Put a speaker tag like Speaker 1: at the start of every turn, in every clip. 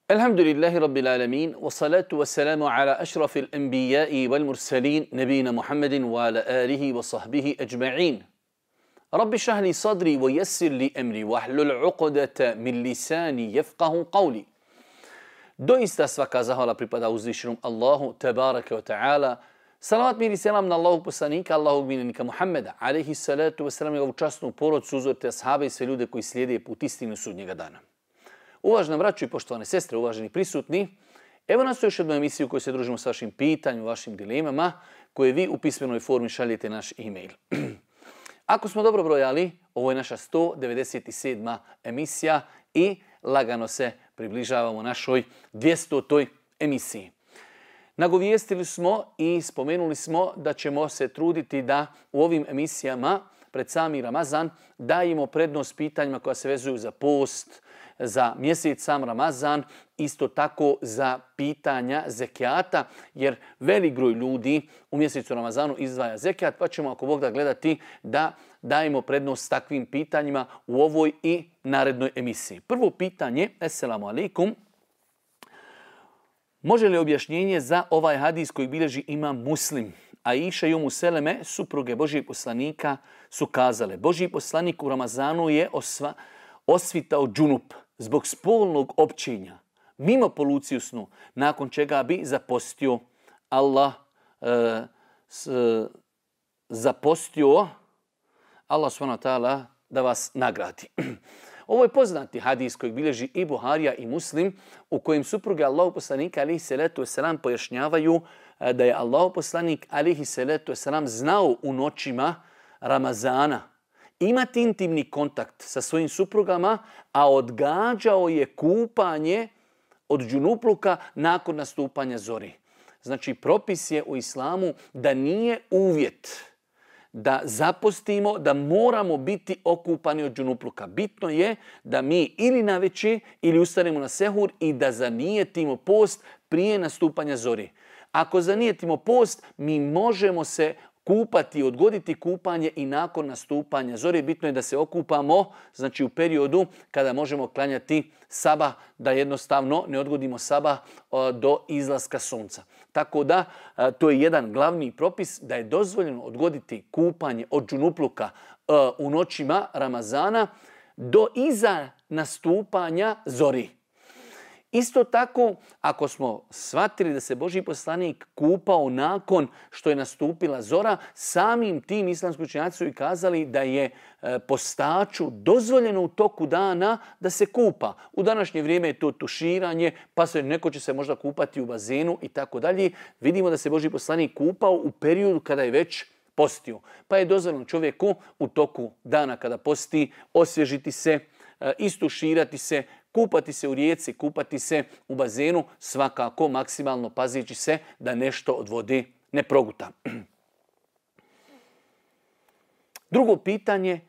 Speaker 1: Alhamdulillahi Rabbil alamin, wa salatu wa salamu ala ašrafil anbiya'i wal mursalin, nabina Muhammedin wa ala alihi wa sahbihi ajma'in. Rabbi šahli sadri wa yassir li emri wa hlul uqdata min lisani yafqahu qawli. Doista svaka zahvala pripada uzvišenom Allahu, tabaraka wa ta'ala. Salavat mir i selam na Allahog poslanika, Allahog miljenika Muhammeda, alaihi salatu wa salam, i ovu časnu porodcu, uzorite ashabe i sve ljude koji slijede put istinu sudnjega dana. Uvažena braćo i poštovane sestre, uvaženi prisutni, evo nas u još jednu emisiju u kojoj se družimo s vašim pitanjima, vašim dilemama, koje vi u pismenoj formi šaljete naš e-mail. Ako smo dobro brojali, ovo je naša 197. emisija i lagano se približavamo našoj 200. emisiji. Nagovijestili smo i spomenuli smo da ćemo se truditi da u ovim emisijama pred sami Ramazan dajemo prednost pitanjima koja se vezuju za post, za mjesec sam Ramazan, isto tako za pitanja zekijata, jer velik broj ljudi u mjesecu Ramazanu izdvaja zekijat, pa ćemo ako Bog da gledati da dajemo prednost takvim pitanjima u ovoj i narednoj emisiji. Prvo pitanje, assalamu alaikum, može li objašnjenje za ovaj hadis koji bilježi Imam Muslim? Aisha i Umu Seleme, supruge Božijeg poslanika, su kazale: Božji poslanik u Ramazanu je osvitao džunup zbog spolnog općenja, mimo poluciju snu, nakon čega bi zapostio. Allah subhanahu wa ta'ala da vas nagradi. Ovo je poznati hadis koji bilježi i Buharija i Muslim, u kojem supruge Allahog poslanika alejhi salatu vesselam pojašnjavaju da je Allahov poslanik alejhi salatu vesselam znao u noćima Ramazana imati intimni kontakt sa svojim suprugama, a odgađao je kupanje od džunupluka nakon nastupanja zori. Znači, propis je u islamu da nije uvjet da zapostimo, da moramo biti okupani od džunupluka. Bitno je da mi ili navečer ili ustanemo na sehur i da zanijetimo post prije nastupanja zori. Ako zanijetimo post, mi možemo se kupati, odgoditi kupanje i nakon nastupanja zore. Bitno je da se okupamo, znači u periodu kada možemo klanjati sabah, da jednostavno ne odgodimo sabah do izlaska sunca. Tako da to je jedan glavni propis, da je dozvoljeno odgoditi kupanje od džunupluka u noćima Ramazana do iza nastupanja zori. Isto tako, ako smo shvatili da se Božji poslanik kupao nakon što je nastupila zora, samim tim islamski učenjaci su i kazali da je postaču dozvoljeno u toku dana da se kupa. U današnje vrijeme je to tuširanje, pa neko će se možda kupati u bazenu i tako dalje. Vidimo da se Božji poslanik kupao u periodu kada je već postio. Pa je dozvoljeno čovjeku u toku dana kada posti osvježiti se, istuširati se, kupati se u rijeci, kupati se u bazenu, svakako maksimalno pazeći se da nešto od vode ne proguta. Drugo pitanje,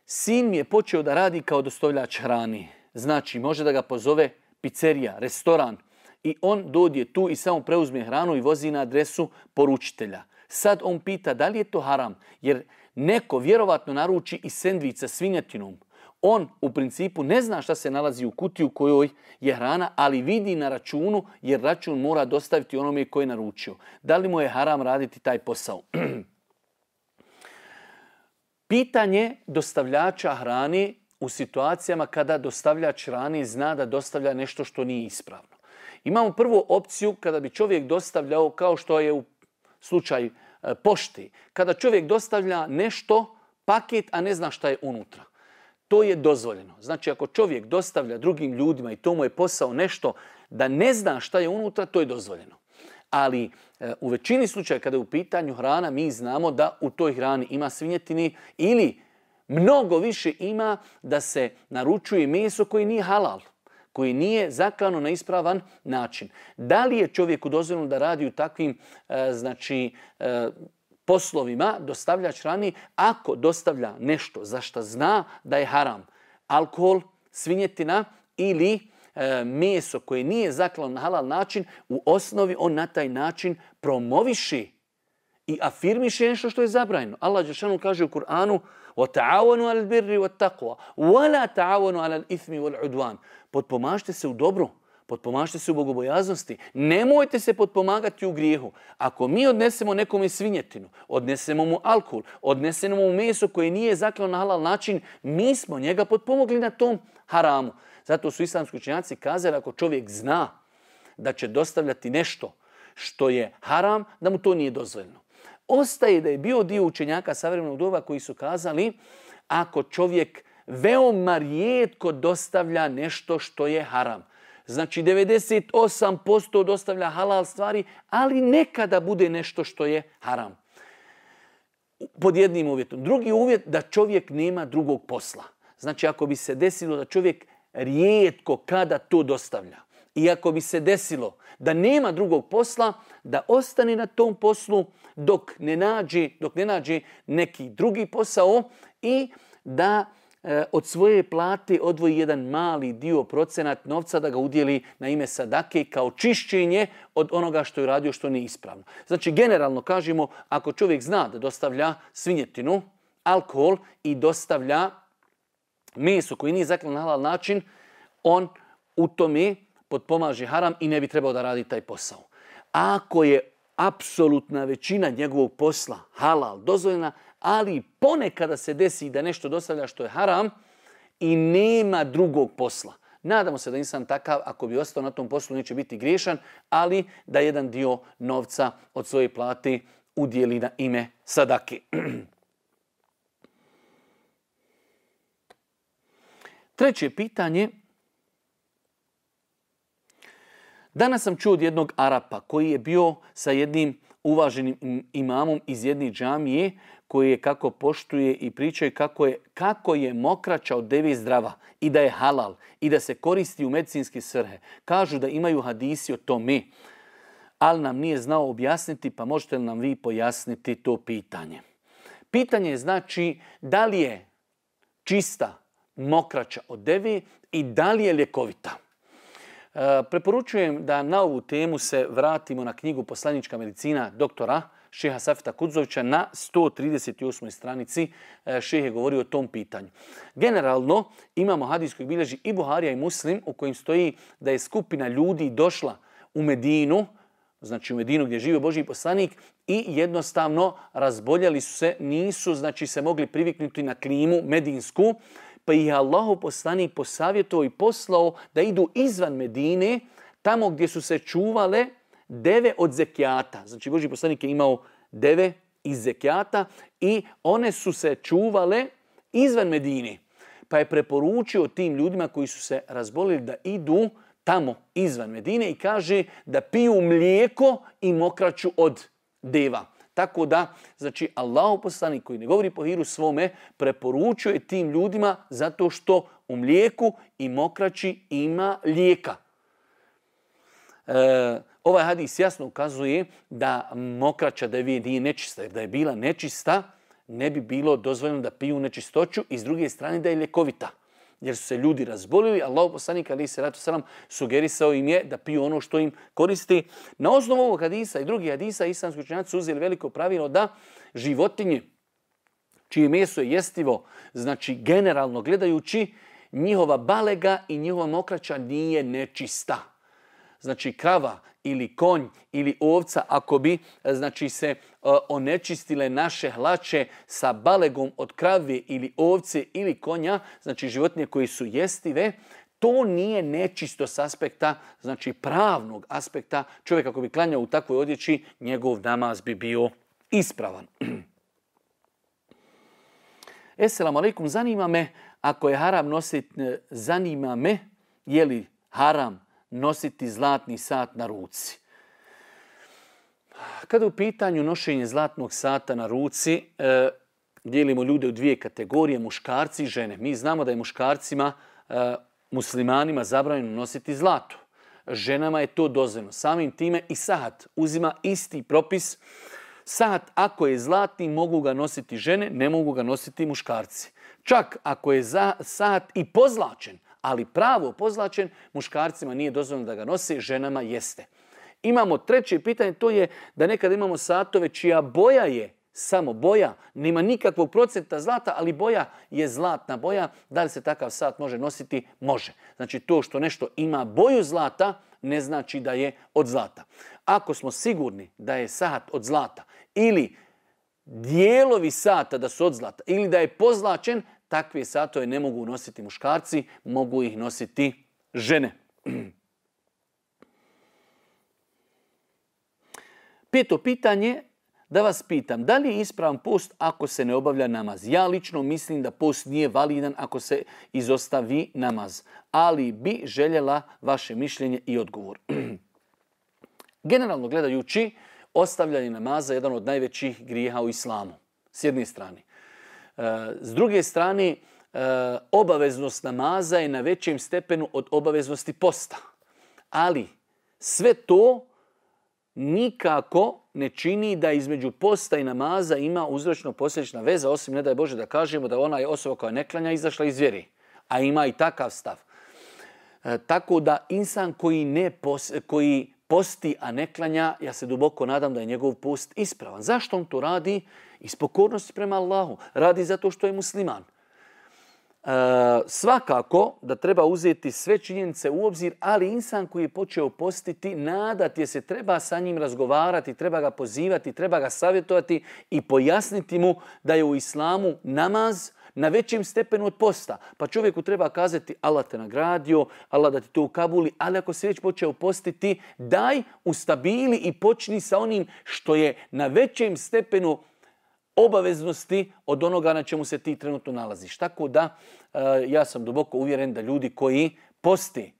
Speaker 1: sin mi je počeo da radi kao dostavljač hrani. Znači, može da ga pozove pizzerija, restoran i on dođe tu i samo preuzme hranu i vozi na adresu poručitelja. Sad on pita da li je to haram, jer neko vjerovatno naruči i sendvič sa svinjetinom. On u principu ne zna šta se nalazi u kutiji u kojoj je hrana, ali vidi na računu, jer račun mora dostaviti onome koji je naručio. Da li mu je haram raditi taj posao? Pitanje dostavljača hrane u situacijama kada dostavljač hrane zna da dostavlja nešto što nije ispravno. Imamo prvu opciju kada bi čovjek dostavljao, kao što je u slučaju pošte, kada čovjek dostavlja nešto, paket, a ne zna šta je unutra. To je dozvoljeno. Znači, ako čovjek dostavlja drugim ljudima i to mu je posao nešto da ne zna šta je unutra, to je dozvoljeno. Ali u većini slučaja kada je u pitanju hrana, mi znamo da u toj hrani ima svinjetine ili mnogo više ima da se naručuje meso koje nije halal, koji nije zaklano na ispravan način. Da li je čovjeku dozvoljeno da radi u takvim poslovima, dostavljač hrane, ako dostavlja nešto za što zna da je haram, alkohol, svinjetina ili meso koje nije zaklano na halal način, u osnovi on na taj način promoviše i afirmiše nešto što je zabranjeno. Allah dželešanu kaže u Kur'anu: وَتَعَوَنُوا عَلَى الْبِرِّ وَالتَّقْوَى وَلَا تَعَوَنُوا عَلَى الْإِثْمِ وَالْعُدْوَانِ. Potpomažite se u dobru, Potpomažite se u bogobojaznosti. Nemojte se potpomagati u grijehu. Ako mi odnesemo nekome svinjetinu, odnesemo mu alkohol, odnesemo mu meso koje nije zaklano na halal način, mi smo njega potpomogli na tom haramu. Zato su islamski učenjaci kazali ako čovjek zna da će dostavljati nešto što je haram, da mu to nije dozvoljeno. Ostaje da je bio dio učenjaka savremenog doba koji su kazali ako čovjek veoma rijetko dostavlja nešto što je haram. Znači 98% dostavlja halal stvari, ali nekada bude nešto što je haram. Pod jednim uvjetom. Drugi uvjet da čovjek nema drugog posla. Znači ako bi se desilo da čovjek rijetko kada to dostavlja i ako bi se desilo da nema drugog posla, da ostane na tom poslu dok ne nađe neki drugi posao i da od svoje plate odvoji jedan mali dio procenat novca da ga udjeli na ime sadake kao čišćenje od onoga što je radio što nije ispravno. Znači generalno kažemo ako čovjek zna da dostavlja svinjetinu, alkohol i dostavlja meso koji nije zaklano na halal način, on u tome potpomaže haram i ne bi trebao da radi taj posao. Ako je apsolutna većina njegovog posla halal dozvoljena, ali ponekada se desi da nešto dostavlja što je haram i nema drugog posla. Nadamo se da insan takav, ako bi ostao na tom poslu, neće biti griješan, ali da jedan dio novca od svoje plate udjeli na ime sadake. Treće pitanje. Danas sam čuo od jednog Arapa koji je bio sa jednim uvaženim imamom iz jedne džamije koji je kako poštuje i pričaju kako je mokraća od deve zdrava i da je halal i da se koristi u medicinske svrhe. Kažu da imaju hadisi o tome, ali nam nije znao objasniti, pa možete li nam vi pojasniti to pitanje? Pitanje je znači da li je čista mokraća od deve i da li je ljekovita. Preporučujem da na ovu temu se vratimo na knjigu Poslanička medicina doktora Šeha Safeta Kudzovića na 138. stranici. Šeh je govorio o tom pitanju. Generalno imamo hadis koji bilježi i Buharija i Muslim u kojim stoji da je skupina ljudi došla u Medinu, znači u Medinu gdje živi Božji poslanik i jednostavno razboljeli su se, nisu znači se mogli priviknuti na klimu medinsku, pa ih je Allahov poslanik posavjetovao i poslao da idu izvan Medine, tamo gdje su se čuvale deve od zekijata. Znači Božji poslanik je imao deve iz zekijata i one su se čuvale izvan Medine. Pa je preporučio tim ljudima koji su se razbolili da idu tamo izvan Medine i kaže da piju mlijeko i mokraću od deva. Tako da, znači, Allahov poslanik koji ne govori po hiru svome, preporučuje tim ljudima zato što u mlijeku i mokraći ima lijeka. Ovaj hadis jasno ukazuje da mokraća devi nije nečista, jer da je bila nečista, ne bi bilo dozvoljeno da piju nečistoću i s druge strane da je ljekovita. Jer su se ljudi razbolili, Allahov poslanik alejhi selatu selam sugerisao im je da piju ono što im koristi. Na osnovu ovog hadisa i drugih hadisa islamski učenjaci su uzeli veliko pravilo da životinje čije meso je jestivo, znači generalno gledajući, njihova balega i njihova mokraća nije nečista. Znači krava ili konj ili ovca, ako bi znači se onečistile naše hlače sa balegom od krave ili ovce ili konja, znači životinje koji su jestive, to nije nečisto s aspekta, znači pravnog aspekta. Čovjek ako bi klanjao u takvoj odjeći, njegov namaz bi bio ispravan. Esselamu alaikum, zanima me, ako je haram nositi, zanima me, je li haram nositi zlatni sat na ruci? Kada je u pitanju nošenje zlatnog sata na ruci, dijelimo ljude u dvije kategorije, muškarci i žene. Mi znamo da je muškarcima, muslimanima zabranjeno nositi zlato. Ženama je to dozvoljeno. Samim time i sahat uzima isti propis. Sahat ako je zlatni mogu ga nositi žene, ne mogu ga nositi muškarci. Čak ako je sahat i pozlačen, ali pravo pozlačen, muškarcima nije dozvoljeno da ga nose, ženama jeste. Imamo treće pitanje, to je da nekada imamo satove čija boja je samo boja, nema nikakvog procenta zlata, ali boja je zlatna boja. Da li se takav sat može nositi? Može. Znači to što nešto ima boju zlata ne znači da je od zlata. Ako smo sigurni da je sat od zlata ili dijelovi sata da su od zlata ili da je pozlačen, takve satove ne mogu nositi muškarci, mogu ih nositi žene. 5. pitanje, da vas pitam, da li je ispravan post ako se ne obavlja namaz? Ja lično mislim da post nije validan ako se izostavi namaz, ali bi željela vaše mišljenje i odgovor. Generalno gledajući, ostavljanje namaza je jedan od najvećih grijeha u islamu, s jedne strane. S druge strane, obaveznost namaza je na većem stepenu od obaveznosti posta. Ali sve to nikako ne čini da između posta i namaza ima uzročno-posljedična veza, osim ne daj Bože da kažemo da ona je osoba koja ne klanja izašla iz vjere. A ima i takav stav. Tako da insan koji posti, a ne klanja, ja se duboko nadam da je njegov post ispravan. Zašto on to radi? Iz pokornosti prema Allahu. Radi zato što je musliman. Svakako da treba uzeti sve činjenice u obzir, ali insan koji je počeo postiti, nadati je se, treba sa njim razgovarati, treba ga pozivati, treba ga savjetovati i pojasniti mu da je u islamu namaz na većem stepenu od posta. Pa čovjeku treba kazati Allah te nagradio, Allah da ti to ukabuli, ali ako se već počeo postiti, daj ustabili i počni sa onim što je na većem stepenu obaveznosti od onoga na čemu se ti trenutno nalaziš. Tako da ja sam duboko uvjeren da ljudi koji posti,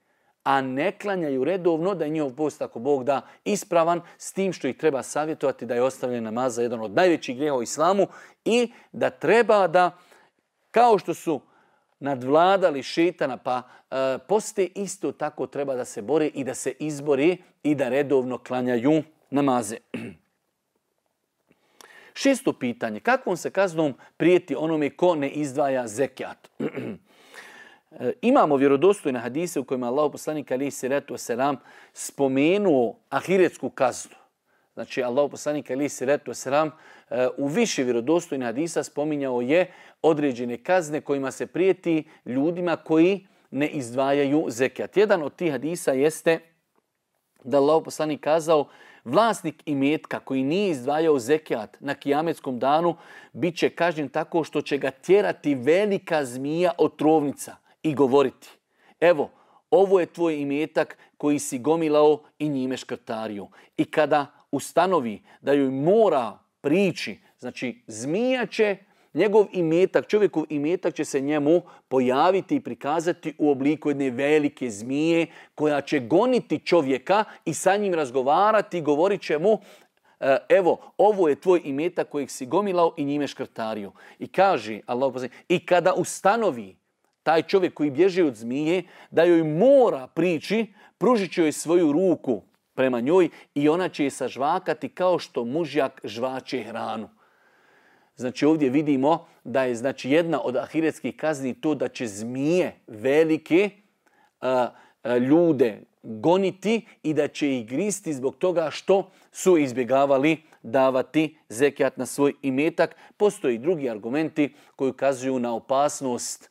Speaker 1: a ne klanjaju redovno, da je njihov post, ako Bog da, ispravan, s tim što ih treba savjetovati da je ostavljanje namaza jedan od najvećih grijeha u islamu i da treba da, kao što su nadvladali šejtana pa poste, isto tako treba da se bore i da se izbori i da redovno klanjaju namaze. 6. pitanje. Kakvom se kaznom prijeti onome ko ne izdvaja zekijat? Imamo vjerodostojne hadise u kojima Allah poslanik alejhi selatu vesselam spomenuo ahiretsku kaznu. Znači Allah poslanik alejhi selatu vesselam u više vjerodostojnih hadisa spominjao je određene kazne kojima se prijeti ljudima koji ne izdvajaju zekijat. Jedan od tih hadisa jeste da Allah poslanik kazao: vlasnik imetka koji nije izdvajao zekijat na kijametskom danu bit će kažnjen tako što će ga tjerati velika zmija otrovnica i govoriti: evo, ovo je tvoj imetak koji si gomilao i njime škrtario. I kada ustanovi da joj mora prići, znači zmija će njegov imetak, čovjekov imetak će se njemu pojaviti i prikazati u obliku jedne velike zmije koja će goniti čovjeka i sa njim razgovarati i govorit će mu: evo, ovo je tvoj imetak kojeg si gomilao i njime škrtario. I kaže Allah, i kada ustanovi taj čovjek koji bježi od zmije da joj mora prići, pružit će joj svoju ruku prema njoj i ona će je sažvakati kao što mužjak žvače hranu. Znači ovdje vidimo da je jedna od ahiretskih kazni to da će zmije velike ljude goniti i da će ih gristi zbog toga što su izbjegavali davati zekijat na svoj imetak. Postoje i drugi argumenti koji ukazuju na opasnost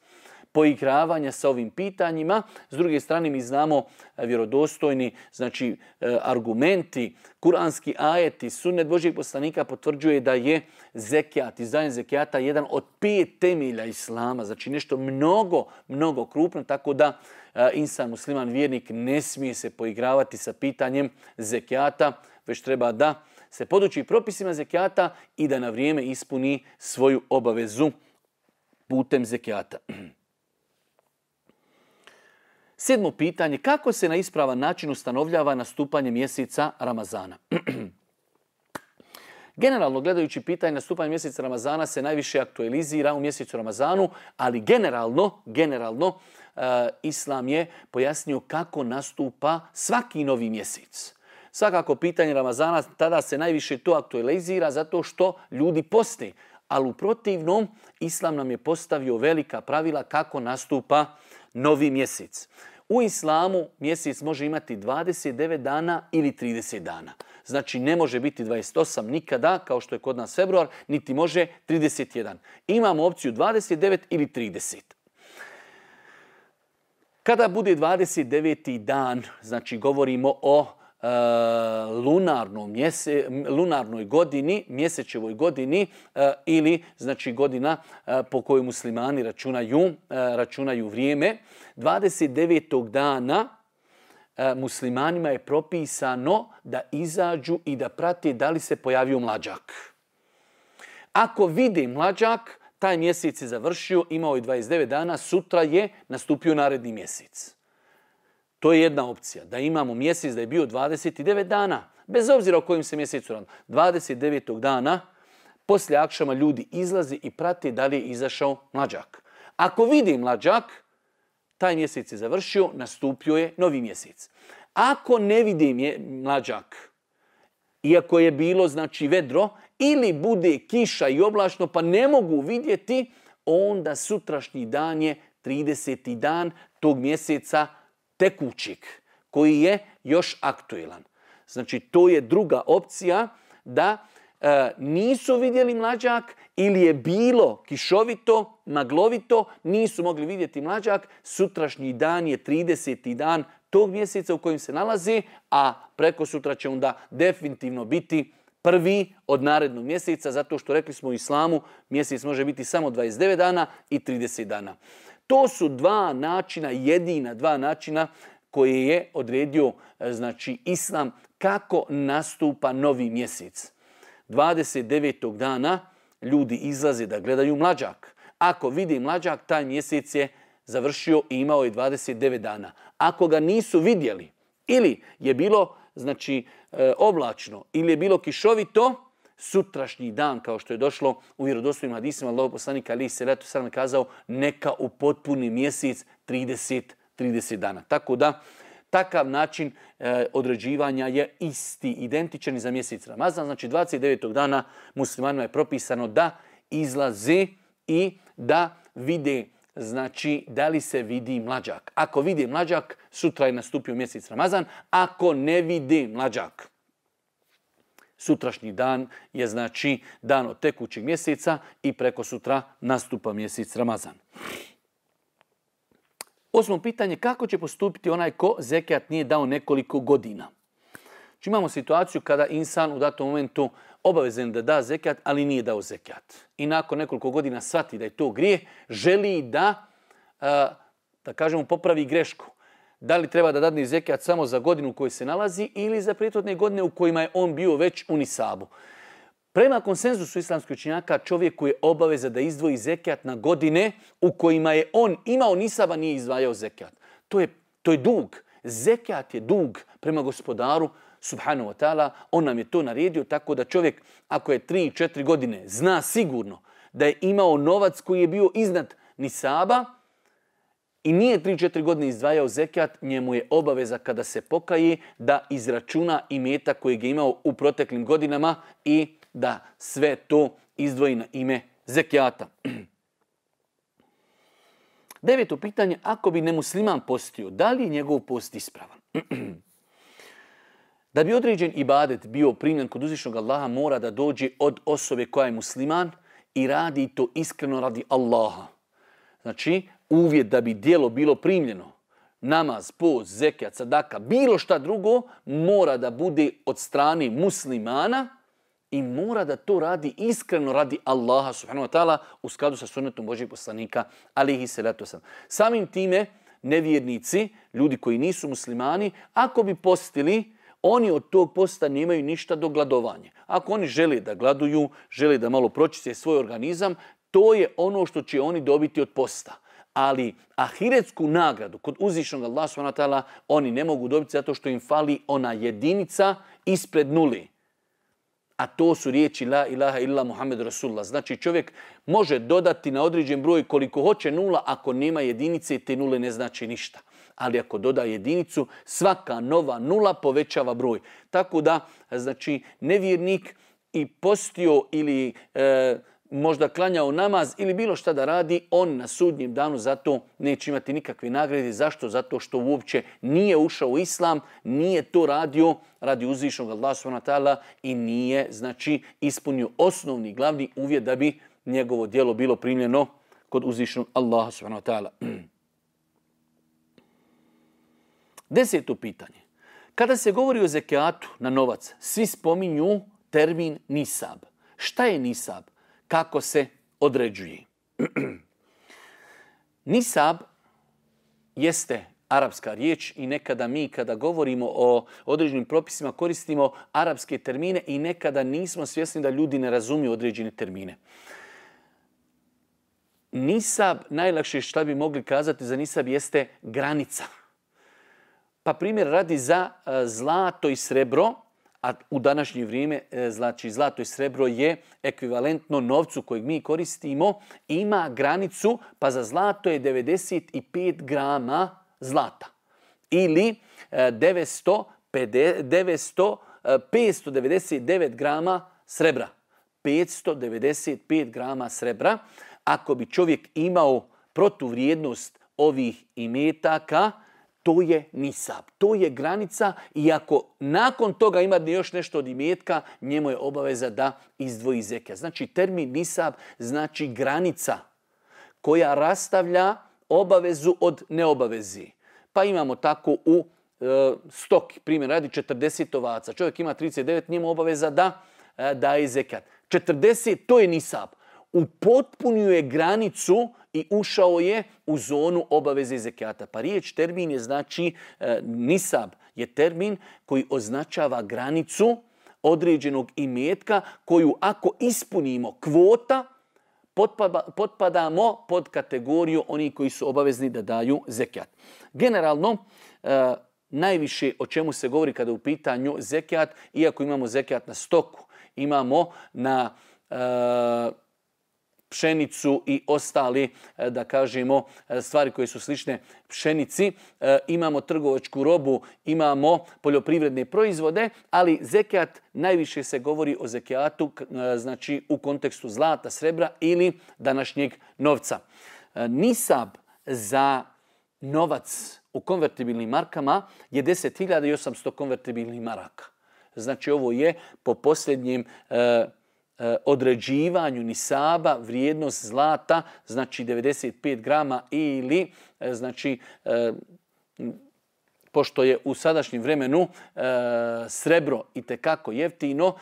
Speaker 1: poigravanja sa ovim pitanjima. S druge strane mi znamo vjerodostojni argumenti, kuranski ajeti, sunnet Božjeg poslanika potvrđuje da je zekijat, izdvajanje zekijata jedan od 5 temelja islama. Znači nešto mnogo krupno, tako da insan musliman vjernik ne smije se poigravati sa pitanjem zekijata, već treba da se poduči propisima zekijata i da na vrijeme ispuni svoju obavezu putem zekijata. 7. pitanje. Kako se na ispravan način ustanovljava nastupanje mjeseca Ramazana? Generalno gledajući pitanje nastupanja mjeseca Ramazana se najviše aktualizira u mjesecu Ramazanu, ali generalno Islam je pojasnio kako nastupa svaki novi mjesec. Svakako pitanje Ramazana tada se najviše to aktualizira zato što ljudi poste, ali u protivnom Islam nam je postavio velika pravila kako nastupa novi mjesec. U islamu mjesec može imati 29 dana ili 30 dana. Znači ne može biti 28 nikada, kao što je kod nas februar, niti može 31. Imamo opciju 29 ili 30. Kada bude 29. dan, znači govorimo o lunarnoj godini, mjesečevoj godini ili znači godina po kojoj muslimani računaju vrijeme. 29. dana muslimanima je propisano da izađu i da prate da li se pojavio mlađak. Ako vide mlađak, taj mjesec je završio, imao je 29 dana, sutra je nastupio naredni mjesec. To je jedna opcija, da imamo mjesec da je bio 29 dana, bez obzira o kojim se mjesecu radi. 29. dana, poslije akšama ljudi izlaze i prate da li je izašao mlađak. Ako vidi mlađak, taj mjesec je završio, nastupio je novi mjesec. Ako ne vidi mlađak, iako je bilo znači vedro, ili bude kiša i oblačno pa ne mogu vidjeti, onda sutrašnji dan je 30. dan tog mjeseca tekućeg, koji je još aktuelan. Znači to je druga opcija, da nisu vidjeli mlađak ili je bilo kišovito, maglovito, nisu mogli vidjeti mlađak, sutrašnji dan je 30. dan tog mjeseca u kojem se nalazi, a preko sutra će onda definitivno biti prvi od narednog mjeseca, zato što rekli smo u islamu, mjesec može biti samo 29 dana i 30 dana. To su jedina dva načina koje je odredio znači islam kako nastupa novi mjesec. 29. dana ljudi izlaze da gledaju mlađak. Ako vidi mlađak, taj mjesec je završio i imao je 29 dana. Ako ga nisu vidjeli ili je bilo znači oblačno ili je bilo kišovito, sutrašnji dan, kao što je došlo u vjerodostojnim hadisima, Allahov poslanik alejhi selatu selam kazao neka upotpuni mjesec 30 dana. Tako da takav način određivanja je isti, identičan za mjesec Ramazan. Znači 29. dana muslimanima je propisano da izlaze i da vide, znači da li se vidi mlađak. Ako vidi mlađak, sutra je nastupio mjesec Ramazan. Ako ne vidi mlađak, sutrašnji dan je znači dan od tekućeg mjeseca i preko sutra nastupa mjesec Ramazan. 8. pitanje, kako će postupiti onaj ko zekijat nije dao nekoliko godina? Znači, imamo situaciju kada insan u datom momentu obavezan da da zekijat, ali nije dao zekijat. I nakon nekoliko godina shvati da je to grijeh, želi da kažemo, popravi grešku. Da li treba da dadne zekijat samo za godinu u kojoj se nalazi ili za prethodne godine u kojima je on bio već u nisabu. Prema konsenzusu islamskih učenjaka, čovjeku je obaveza da izdvoji zekijat na godine u kojima je on imao nisaba, nije izdvajao zekijat. To je dug. Zekijat je dug prema gospodaru, subhanahu wa ta'ala. On nam je to naredio, tako da čovjek, ako je 3-4 godine, zna sigurno da je imao novac koji je bio iznad nisaba i nije 3-4 godine izdvajao zekijat, njemu je obaveza kada se pokaje da izračuna imetak kojeg je imao u proteklim godinama i da sve to izdvoji na ime zekijata. 9. pitanje, ako bi nemusliman postio, da li je njegov post ispravan? Da bi određen ibadet bio primljen kod uzvišnog Allaha, mora da dođe od osobe koja je musliman i radi to iskreno radi Allaha. Znači, uvjet da bi djelo bilo primljeno, namaz, post, zekijat, sadaka, bilo šta drugo, mora da bude od strane muslimana i mora da to radi iskreno radi Allaha subhanahu wa ta'ala u skladu sa sunnetom Božjeg poslanika alejhi selatu vesselam. Samim time nevjernici, ljudi koji nisu muslimani, ako bi postili, oni od tog posta nemaju ništa do gladovanja. Ako oni žele da gladuju, žele da malo pročiste svoj organizam, to je ono što će oni dobiti od posta. Ali ahiretsku nagradu kod uzvišenog Allaha subhanahu wa ta'ala oni ne mogu dobiti zato što im fali ona jedinica ispred nuli. A to su riječi la ilaha illa Muhammed Rasulullah. Znači čovjek može dodati na određen broj koliko hoće nula, ako nema jedinice te nule ne znači ništa. Ali ako doda jedinicu, svaka nova nula povećava broj. Tako da, znači, nevjernik i postio ili možda klanjao namaz ili bilo šta da radi, on na sudnjem danu zato neće imati nikakve nagrade. Zašto? Zato što uopće nije ušao u islam, nije to radio radi uzvišenog Allaha subhanahu wa ta'ala i nije, znači, ispunio osnovni glavni uvjet da bi njegovo djelo bilo primljeno kod uzvišenog Allaha subhanahu wa ta'ala. 10. pitanje. Kada se govori o zekijatu na novac, svi spominju termin nisab. Šta je nisab? Kako se određuje? Nisab jeste arapska riječ i nekada mi kada govorimo o određenim propisima koristimo arapske termine i nekada nismo svjesni da ljudi ne razumiju određene termine. Nisab, najlakše što bi mogli kazati za nisab jeste granica. Pa primjer radi za zlato i srebro, a u današnje vrijeme znači zlato i srebro je ekvivalentno novcu kojeg mi koristimo, ima granicu, pa za zlato je 95 grama zlata ili 599 grama srebra. 595 grama srebra. Ako bi čovjek imao protuvrijednost ovih imetaka, to je nisab, to je granica i ako nakon toga ima još nešto od imetka, njemu je obaveza da izdvoji zekijat. Znači termin nisab znači granica koja rastavlja obavezu od neobavezi. Pa imamo tako u stoki, primjer radi 40 ovaca. Čovjek ima 39, njemu obaveza da daje zekijat. 40, to je nisab. Upotpunio je granicu i ušao je u zonu obaveze zekijata. Pa riječ termin je znači nisab je termin koji označava granicu određenog imetka koju ako ispunimo kvota potpadamo pod kategoriju onih koji su obavezni da daju zekijat. Generalno najviše o čemu se govori kada je u pitanju zekijat, iako imamo zekijat na stoku, imamo na pšenicu i ostali, da kažemo, stvari koje su slične pšenici. Imamo trgovačku robu, imamo poljoprivredne proizvode, ali zekijat, najviše se govori o zekijatu, znači u kontekstu zlata, srebra ili današnjeg novca. Nisab za novac u konvertibilnim markama je 10.800 konvertibilnih maraka. Znači ovo je po posljednjem određivanju nisaba vrijednost zlata, znači 95 grama ili znači pošto je u sadašnjem vremenu srebro itekako jeftino,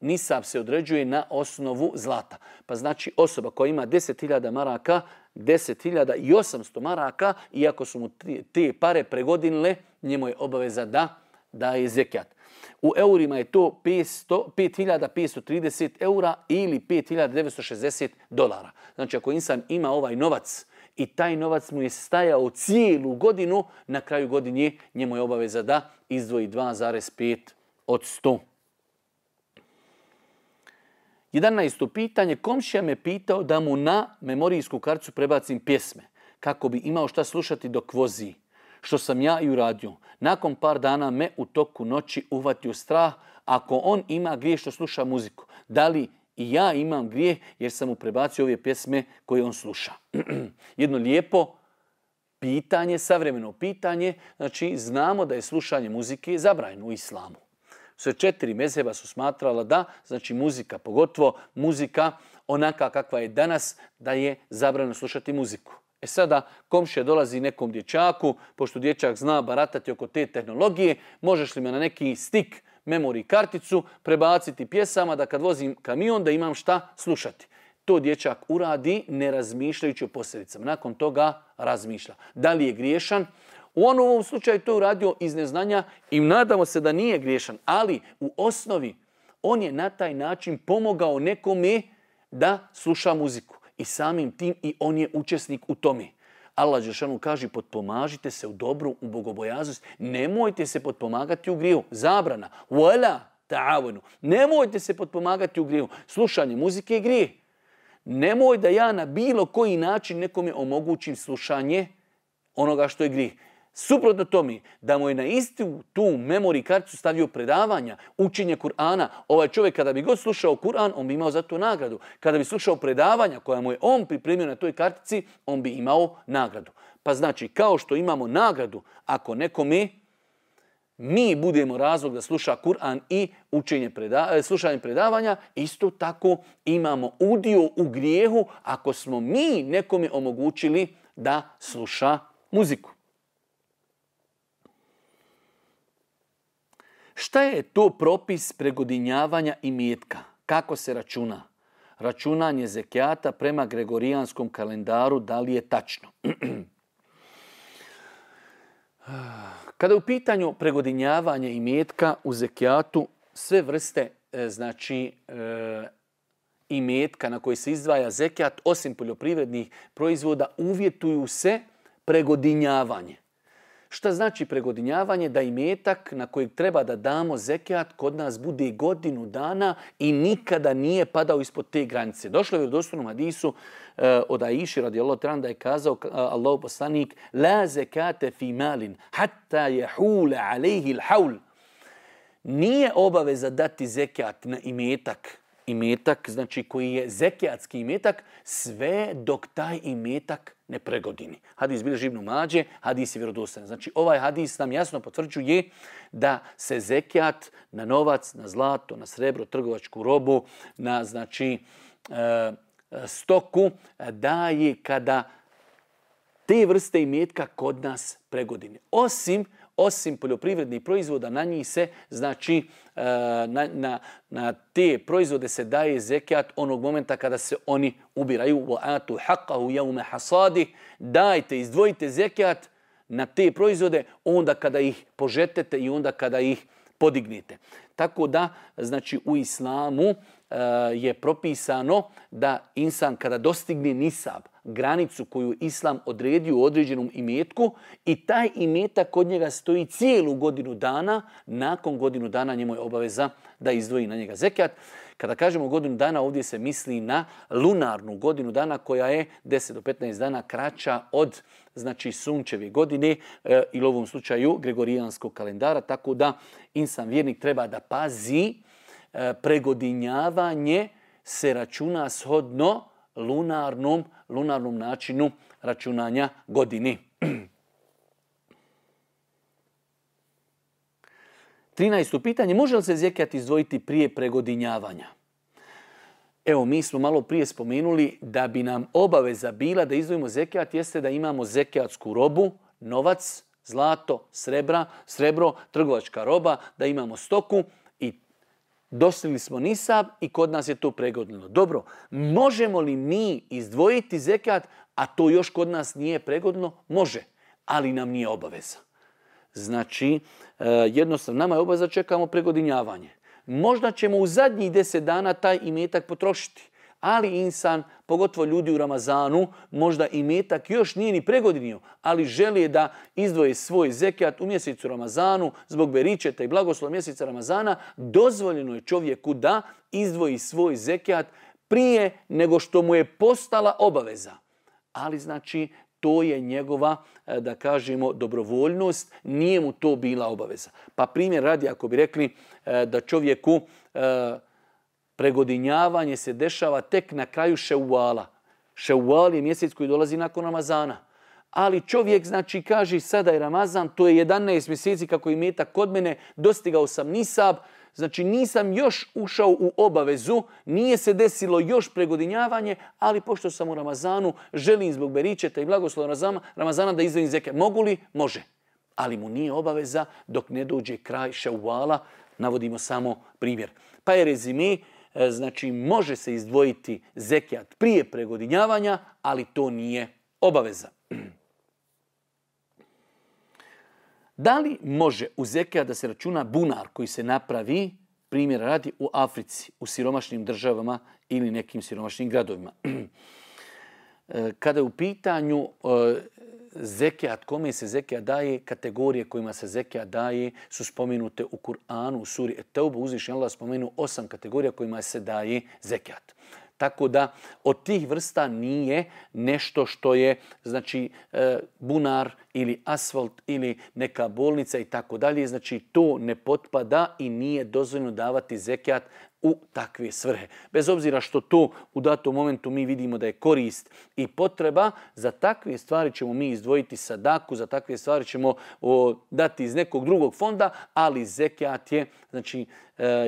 Speaker 1: nisab se određuje na osnovu zlata. Pa znači osoba koja ima 10.000 maraka, 10.800 maraka, iako su mu te pare pregodinile, njemu je obaveza da daje zekijat. U eurima je to 5.530 eura ili 5.960 dolara. Znači ako insan ima ovaj novac i taj novac mu je stajao cijelu godinu, na kraju godine njemu je obaveza da izdvoji 2,5 od 100. 11. pitanje. Komšija me pitao da mu na memorijsku karticu prebacim pjesme kako bi imao šta slušati dok vozi. Što sam ja i uradio. Nakon par dana me u toku noći uhvatio strah ako on ima grijeh što sluša muziku. Da li i ja imam grijeh jer sam mu prebacio ove pjesme koje on sluša. Jedno lijepo pitanje, savremeno pitanje. Znači znamo da je slušanje muzike zabranjeno u islamu. Sve 4 mezheba su smatrala da, znači muzika, pogotovo muzika onaka kakva je danas, da je zabranjeno slušati muziku. E sada komšija dolazi nekom dječaku, pošto dječak zna baratati oko te tehnologije, možeš li me na neki stik, memory karticu prebaciti pjesama da kad vozim kamion da imam šta slušati. To dječak uradi ne razmišljajući o posljedicama. Nakon toga razmišlja. Da li je griješan? U ovom slučaju to uradio iz neznanja i nadamo se da nije griješan, ali u osnovi on je na taj način pomogao nekome da sluša muziku. I samim tim i on je učesnik u tome. Allah dželešanu kaže potpomažite se u dobru, u bogobojaznosti. Nemojte se potpomagati u grijehu. Zabrana. Wala ta'awanu. Nemojte se potpomagati u grijehu. Slušanje muzike je grijeh. Nemoj da ja na bilo koji način nekome omogućim slušanje onoga što je grijeh. Suprotno tome, da mu je na istu tu memory karticu stavio predavanja, učenje Kur'ana, ovaj čovjek kada bi god slušao Kur'an, on bi imao za to nagradu. Kada bi slušao predavanja koja mu je on pripremio na toj kartici, on bi imao nagradu. Pa znači, kao što imamo nagradu, ako nekome mi budemo razlog da sluša Kur'an i slušanje predavanja, isto tako imamo udio u grijehu ako smo mi nekome omogućili da sluša muziku. Šta je to propis pregodinjavanja imetka? Kako se računa? Računanje zekijata prema gregorijanskom kalendaru, da li je tačno? Kada je u pitanju pregodinjavanje imetka u zekijatu, sve vrste imetka na koji se izdvaja zekijat, osim poljoprivrednih proizvoda, uvjetuju se pregodinjavanje. Šta znači pregodinjavanje? Da imetak na kojeg treba da damo zekijat kod nas bude godinu dana i nikada nije padao ispod te granice. Došlo je u vjerodostojnom hadisu od Aiši radijallahu ta'ala da je kazao Allahov poslanik: la zekate fi malin hatta yahula alayhi al-hawl. Nije obaveza dati zekijat na imetak znači koji je zekijatski imetak, sve dok taj imetak ne pregodini. Hadis bilježi Ibn Mađe, hadis je vjerodostojan. Znači ovaj hadis nam jasno potvrđuje da se zekijat na novac, na zlato, na srebro, trgovačku robu, na stoku daje kada te vrste imetka kod nas pregodine. Osim poljoprivrednih proizvoda, na njih se, znači, na te proizvode se daje zekijat onog momenta kada se oni ubiraju. وَآتُوا حَقَّهُ يَوْمَ حَصَادِهِ. Dajte, izdvojite zekijat na te proizvode onda kada ih požetete i onda kada ih podignete. Tako da, znači, u islamu je propisano da insan kada dostigne nisab, granicu koju islam odredio u određenom imetku i taj imetak kod njega stoji cijelu godinu dana, nakon godinu dana njemu je obaveza da izdvoji na njega zekijat. Kada kažemo godinu dana, ovdje se misli na lunarnu godinu dana koja je 10 do 15 dana kraća od sunčeve godine ili u ovom slučaju gregorijanskog kalendara, tako da insan vjernik treba da pazi. Pregodinjavanje se računa shodno lunarnom načinu računanja godine. 13. pitanje, može li se zekijat izdvojiti prije pregodinjavanja? Evo, mi smo malo prije spomenuli da bi nam obaveza bila da izdvojimo zekijat, jeste da imamo zekijatsku robu, novac, zlato, srebro, trgovačka roba, da imamo stoku i dostigli smo nisab i kod nas je to pregodnilo. Dobro, možemo li mi izdvojiti zekijat, a to još kod nas nije pregodno? Može, ali nam nije obaveza. Znači, jednostavno, nama je obaveza, čekamo pregodinjavanje. Možda ćemo u zadnjih 10 dana taj imetak potrošiti, ali insan, pogotovo ljudi u Ramazanu, možda imetak još nije ni pregodinio, ali želi da izdvoje svoj zekijat u mjesecu Ramazanu, zbog beričeta i blagoslova mjeseca Ramazana, dozvoljeno je čovjeku da izdvoji svoj zekijat prije nego što mu je postala obaveza. Ali znači, to je njegova, da kažemo, dobrovoljnost, nije mu to bila obaveza. Pa primjer radi, ako bi rekli da čovjeku pregodinjavanje se dešava tek na kraju Ševala. Ševal je mjesec koji dolazi nakon Ramazana. Ali čovjek, znači, kaže sada je Ramazan, to je 11 mjeseci kako je imetak kod mene, dostigao sam nisab, znači nisam još ušao u obavezu, nije se desilo još pregodinjavanje, ali pošto sam u Ramazanu, želim zbog beričeta i blagoslova Ramazana da izdvojim zekijat. Mogu li? Može. Ali mu nije obaveza dok ne dođe kraj Ševala, navodimo samo primjer. Pa je rezime, znači može se izdvojiti zekijat prije pregodinjavanja, ali to nije obaveza. Da li može u zekijat da se računa bunar koji se napravi, primjer radi, u Africi, u siromašnim državama ili nekim siromašnim gradovima? Kada je u pitanju zekijat, kome se zekijat daje, kategorije kojima se zekijat daje su spomenute u Kur'anu, u suri Et-Tauba. Uzvišeni Allah spomenuo 8 kategorija kojima se daje zekijat. Tako da od tih vrsta nije nešto što je znači bunar ili asfalt ili neka bolnica i tako dalje. Znači to ne potpada i nije dozvoljeno davati zekijat u takve svrhe. Bez obzira što to u datom momentu mi vidimo da je korist i potreba, za takve stvari ćemo mi izdvojiti sadaku, za takve stvari ćemo dati iz nekog drugog fonda, ali zekijat je znači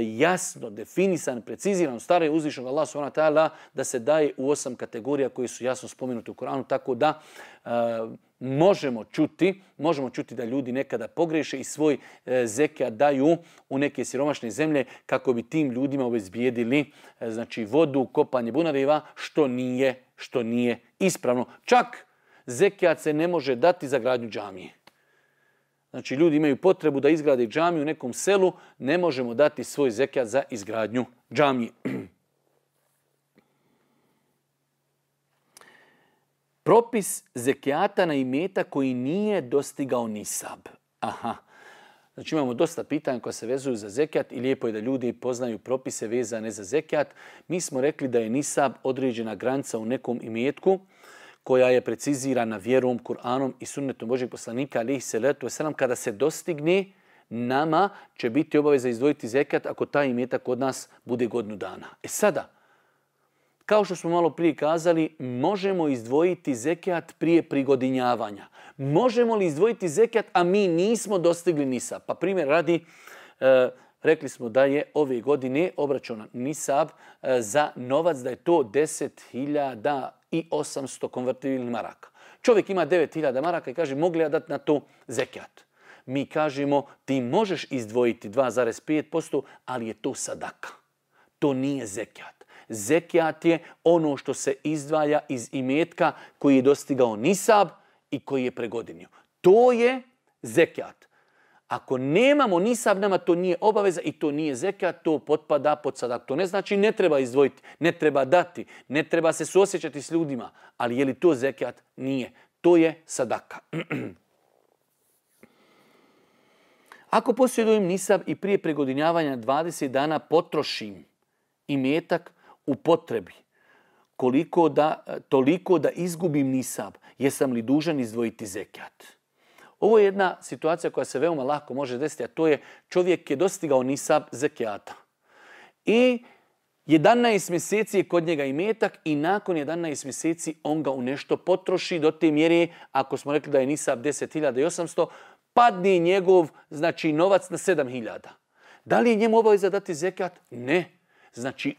Speaker 1: jasno definisan, preciziran, stare uzvišnog Allah subhanahu wa ta'ala da se daje u 8 kategorija koji su jasno spomenuti u Koranu, tako da možemo čuti da ljudi nekada pogreše i svoj zekijat daju u neke siromašne zemlje kako bi tim ljudima obezbijedili znači vodu, kopanje bunareva, što nije ispravno. Čak zekijat se ne može dati za gradnju džamije. Znači ljudi imaju potrebu da izgrade džamiju u nekom selu, ne možemo dati svoj zekijat za izgradnju džamije. Propis zekijata na imetak koji nije dostigao nisab. Znači imamo dosta pitanja koja se vezuju za zekijat i lijepo je da ljudi poznaju propise vezane za zekijat. Mi smo rekli da je nisab određena granica u nekom imetku koja je precizirana vjerom, Kur'anom i sunnetom Božjeg poslanika alejhi selatu vesselam. Kada se dostigne, nama će biti obaveza izdvojiti zekijat ako taj imetak kod nas bude godinu dana. Sada, kao što smo malo prije kazali, možemo izdvojiti zekijat prije prigodinjavanja. Možemo li izdvojiti zekijat, a mi nismo dostigli nisab? Pa primjer radi, rekli smo da je ove godine obračunat nisab za novac, da je to 10.800 konvertibilnih maraka. Čovjek ima 9.000 maraka i kaže, mogu li ja dati na to zekijat? Mi kažemo, ti možeš izdvojiti 2,5%, ali je to sadaka. To nije zekijat. Zekijat je ono što se izdvaja iz imetka koji je dostigao nisab i koji je pregodinio. To je zekijat. Ako nemamo nisab, nama to nije obaveza i to nije zekijat, to potpada pod sadak. To ne znači ne treba izdvojiti, ne treba dati, ne treba se suosjećati s ljudima. Ali je li to zekijat? Nije. To je sadaka. Ako posjedujem nisab i prije pregodinjavanja 20 dana potrošim imetak u potrebi, toliko da izgubim nisab, jesam li dužan izdvojiti zekijat? Ovo je jedna situacija koja se veoma lako može desiti, a to je čovjek je dostigao nisab zekijata. I 11 mjeseci je kod njega imetak i nakon 11 mjeseci on ga u nešto potroši do te mjere, ako smo rekli da je nisab 10.800, padne njegov znači novac na 7.000. Da li je njemu obaveza dati zekijat? Ne. Znači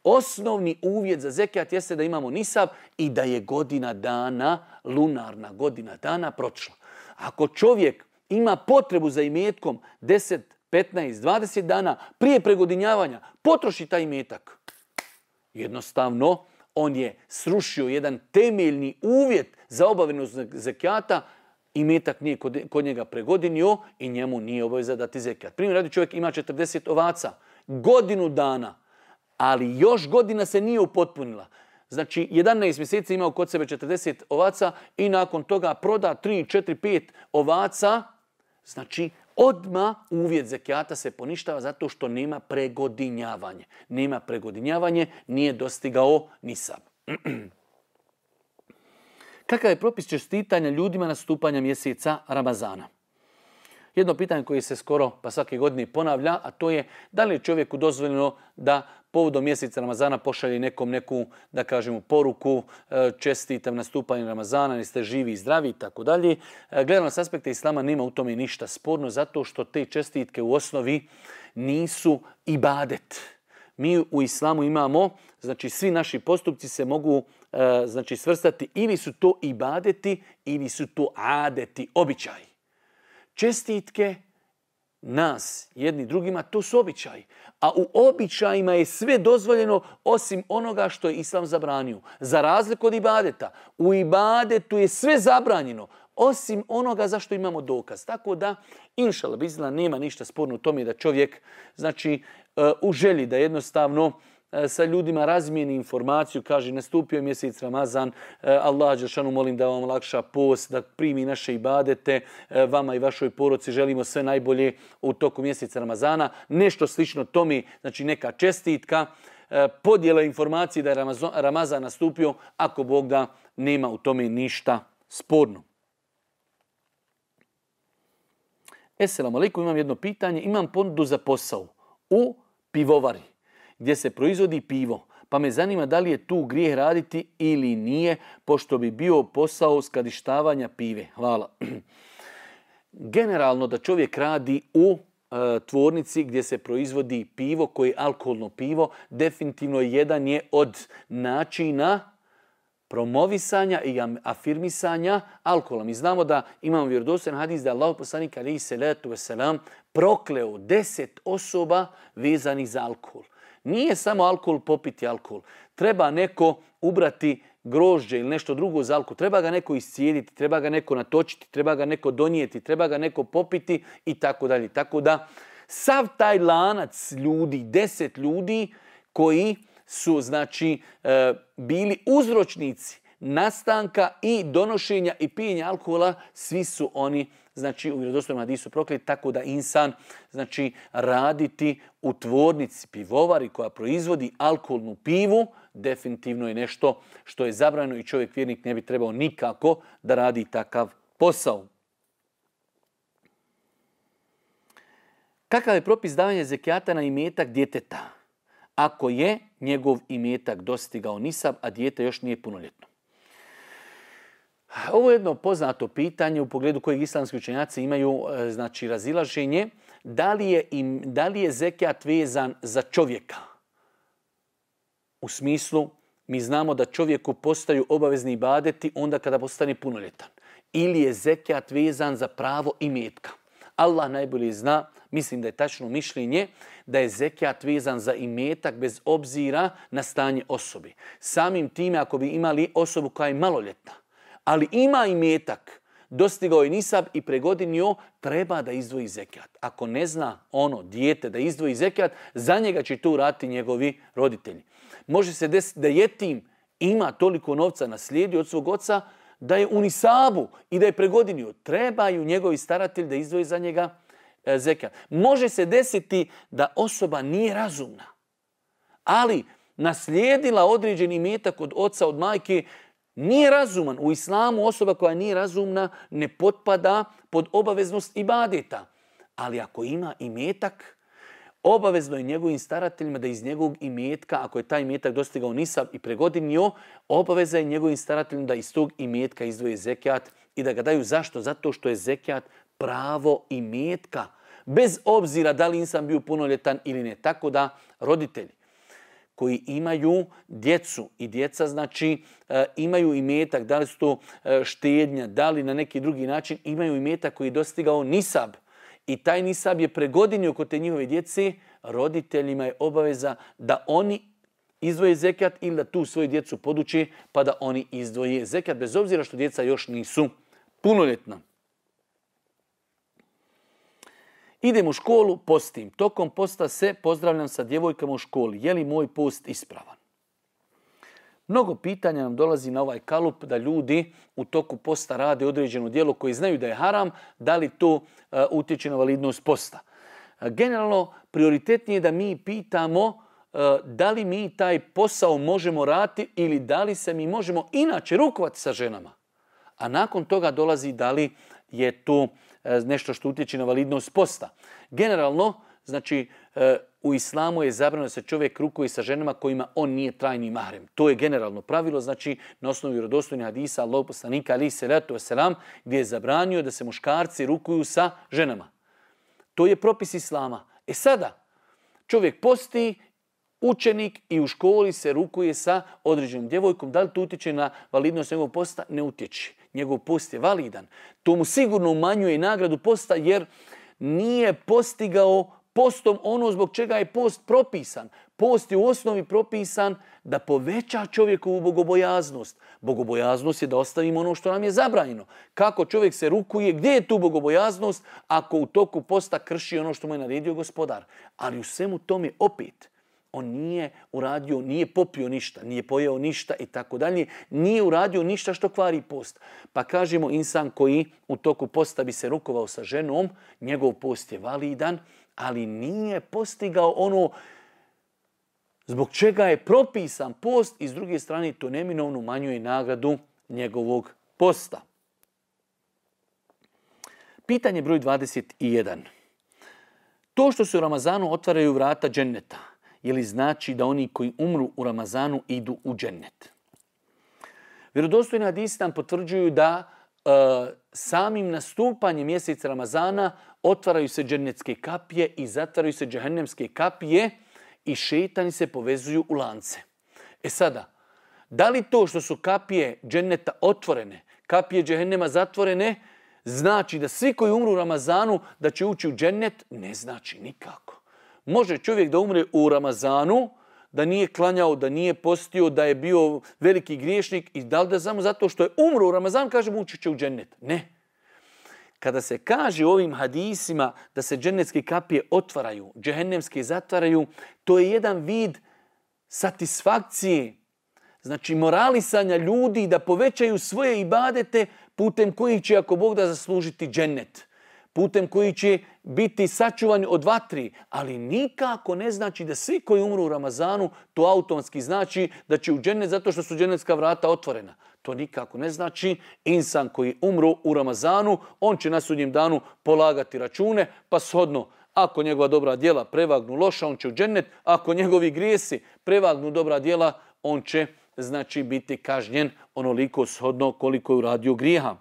Speaker 1: osnovni uvjet za zekijat jeste da imamo nisab i da je godina dana, lunarna godina dana prošla. Ako čovjek ima potrebu za imetkom 10, 15, 20 dana prije pregodinjavanja, potroši taj imetak. Jednostavno, on je srušio jedan temeljni uvjet za obaveznost zekijata, imetak nije kod njega pregodinio i njemu nije obaveza dati zekijat. Primjer radi, čovjek ima 40 ovaca, godinu dana, ali još godina se nije upotpunila. Znači, 11 mjeseci imao kod sebe 40 ovaca i nakon toga proda 3, 4, 5 ovaca. Znači, odmah uvjet zekijata se poništava zato što nema pregodinjavanje. Nema pregodinjavanje, nije dostigao nisab. Kakav je propis čestitanja ljudima nastupanja mjeseca Ramazana? Jedno pitanje koje se skoro pa svake godine ponavlja, a to je da li je čovjeku dozvoljeno da povodom mjeseca Ramazana pošalje nekom neku, da kažemo, poruku, čestitam nastupanje Ramazana, jeste živi i zdravi i tako dalje. Gledano s aspekta islama nema u tome ništa sporno zato što te čestitke u osnovi nisu ibadet. Mi u islamu imamo, znači svi naši postupci se mogu znači svrstati ili su to ibadeti ili su to adeti, običaji. Čestitke nas, jedni drugima, to su običaji. A u običajima je sve dozvoljeno osim onoga što je islam zabranio. Za razliku od ibadeta, u ibadetu je sve zabranjeno osim onoga za što imamo dokaz. Tako da, inšallah bizna, nema ništa sporno u tome da čovjek, znači, u želji da jednostavno sa ljudima razmijeni informaciju, kaže nastupio je mjesec Ramazan, Allah dželešanu molim da vam olakša post, da primi naše ibadete, vama i vašoj porodici želimo sve najbolje u toku mjeseca Ramazana, nešto slično tome, znači neka čestitka. podjela informacije da je Ramazan nastupio, ako Bog da nema u tome ništa sporno. Esselamu alaikum, imam jedno pitanje. Imam ponudu za posao u pivovari gdje se proizvodi pivo. Pa me zanima da li je tu grijeh raditi ili nije, pošto bi bio posao skladištavanja pive. Hvala. Generalno da čovjek radi u tvornici gdje se proizvodi pivo, koje je alkoholno pivo, definitivno jedan je od načina promovisanja i afirmisanja alkohola. Mi znamo da imamo vjerodostojan hadis da je Allahov poslanik alejhi selatu vesselam prokleo 10 osoba vezanih za alkohol. Nije samo alkohol popiti alkohol. Treba neko ubrati grožđe ili nešto drugo za alkohol. Treba ga neko iscijediti, treba ga neko natočiti, treba ga neko donijeti, treba ga neko popiti i tako dalje. Tako da sav taj lanac ljudi, 10 ljudi koji su znači bili uzročnici nastanka i donošenja i pijenja alkohola, svi su oni znači u vjerodostojnom hadisu prokleti, tako da insan znači raditi u tvornici pivovari koja proizvodi alkoholnu pivu definitivno je nešto što je zabranjeno i čovjek vjernik ne bi trebao nikako da radi takav posao. Kakav je propis davanja zekijata na imetak djeteta ako je njegov imetak dostigao nisab, a dijete još nije punoljetno? Ovo je jedno poznato pitanje u pogledu kojeg islamski učenjaci imaju znači razilaženje. Da li je zekijat vezan za čovjeka? U smislu, mi znamo da čovjeku postaju obavezni ibadeti onda kada postane punoljetan. Ili je zekijat vezan za pravo imetka? Allah najbolje zna, mislim da je tačno mišljenje, da je zekijat vezan za imetak bez obzira na stanje osobe. Samim time, ako bi imali osobu koja je maloljetna, ali ima imetak, dostigao je nisab i pregodinio, treba da izdvoji zekijat. Ako ne zna ono dijete da izdvoji zekijat, za njega će to uraditi njegovi roditelji. Može se desiti da jetim ima toliko novca naslijedio od svog oca, da je u nisabu i da je pregodinio. Trebaju njegovi staratelji da izdvoji za njega zekijat. Može se desiti da osoba nije razumna, ali naslijedila određeni imetak od oca, od majke, nije razuman. U islamu osoba koja nije razumna ne potpada pod obaveznost ibadeta. Ali ako ima imetak, obavezno je njegovim starateljima da iz njegovog imetka, ako je taj imetak dostigao nisab i pregodinio, obaveza je njegovim starateljima da iz tog imetka izdvoje zekijat i da ga daju. Zašto? Zato što je zekijat pravo imetka, bez obzira da li insan bio punoljetan ili ne. Tako da roditelji koji imaju djecu i djeca znači imaju imetak, da li su to štednja, da li na neki drugi način imaju imetak koji je dostigao nisab i taj nisab je pregodinio kod te njihove djece, roditeljima je obaveza da oni izdvoje zekijat ili da tu svoju djecu poduče pa da oni izdvoje zekijat, bez obzira što djeca još nisu punoljetna. Idem u školu, postim. Tokom posta se pozdravljam sa djevojkama u školi. Je li moj post ispravan? Mnogo pitanja nam dolazi na ovaj kalup da ljudi u toku posta rade određeno djelo koji znaju da je haram, da li to utječe na validnost posta. Generalno, prioritetnije je da mi pitamo da li mi taj posao možemo raditi ili da li se mi možemo inače rukovati sa ženama. A nakon toga dolazi da li je to nešto što utječe na validnost posta. Generalno, znači, u islamu je zabranjeno da se čovjek rukuje sa ženama kojima on nije trajni mahrem. To je generalno pravilo, znači na osnovu vjerodostojnih hadisa Allahov poslanika alejhi selatu vesselam, gdje je zabranio da se muškarci rukuju sa ženama. To je propis islama. E sada, čovjek posti, učenik i u školi se rukuje sa određenom djevojkom. Da li to utječe na validnost njegovog posta? Ne utječe. Njegov post je validan. To mu sigurno umanjuje nagradu posta jer nije postigao postom ono zbog čega je post propisan. Post je u osnovi propisan da poveća čovjekovu bogobojaznost. Bogobojaznost je da ostavimo ono što nam je zabranjeno. Kako čovjek se rukuje, gdje je tu bogobojaznost ako u toku posta krši ono što mu je naredio gospodar? Ali u svemu tome opet on nije uradio, nije popio ništa, nije pojeo ništa i tako dalje, nije uradio ništa što kvari post. Pa kažemo insan koji u toku posta bi se rukovao sa ženom, njegov post je validan, ali nije postigao ono zbog čega je propisan post i s druge strane to neminovno umanjuje nagradu njegovog posta. Pitanje broj 21. To što se u Ramazanu otvaraju vrata dženneta, je li znači da oni koji umru u Ramazanu idu u džennet? Vjerodostojni hadisi nam potvrđuju da samim nastupanjem mjeseca Ramazana otvaraju se džennetske kapije i zatvaraju se džehennemske kapije i šejtani se povezuju u lance. Sada, da li to što su kapije dženneta otvorene, kapije džehennema zatvorene, znači da svi koji umru u Ramazanu da će ući u džennet? Ne znači nikako. Može čovjek da umre u Ramazanu, da nije klanjao, da nije postio, da je bio veliki griješnik i da li da samo zato što je umro u Ramazanu kažemo ući će u džennet? Ne. Kada se kaže u ovim hadisima da se džennetske kapije otvaraju, džehennemske zatvaraju, to je jedan vid satisfakcije, znači moralisanja ljudi da povećaju svoje ibadete putem kojih će, ako Bog da, zaslužiti džennet, putem koji će biti sačuvani od vatri, ali nikako ne znači da svi koji umru u Ramazanu to automatski znači da će u džennet zato što su džennetska vrata otvorena. To nikako ne znači. Insan koji umru u Ramazanu, on će na sudnjem danu polagati račune, pa shodno, ako njegova dobra djela prevagnu loša, on će u džennet, ako njegovi grijesi prevagnu dobra djela, on će znači biti kažnjen onoliko shodno koliko je uradio grijeha.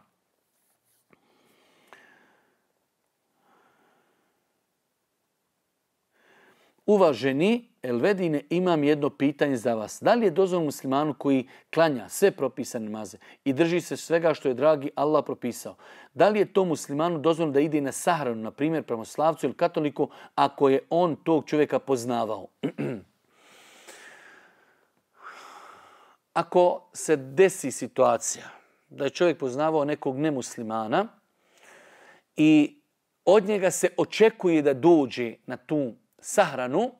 Speaker 1: Uvaženi Elvedine, imam jedno pitanje za vas. Da li je dozvoljeno muslimanu koji klanja sve propisane namaze i drži se svega što je dragi Allah propisao? Da li je to muslimanu dozvoljeno da ide na sahranu, na primjer pravoslavcu ili katoliku, ako je on tog čovjeka poznavao? Ako se desi situacija da je čovjek poznavao nekog nemuslimana i od njega se očekuje da dođe na tu sahranu,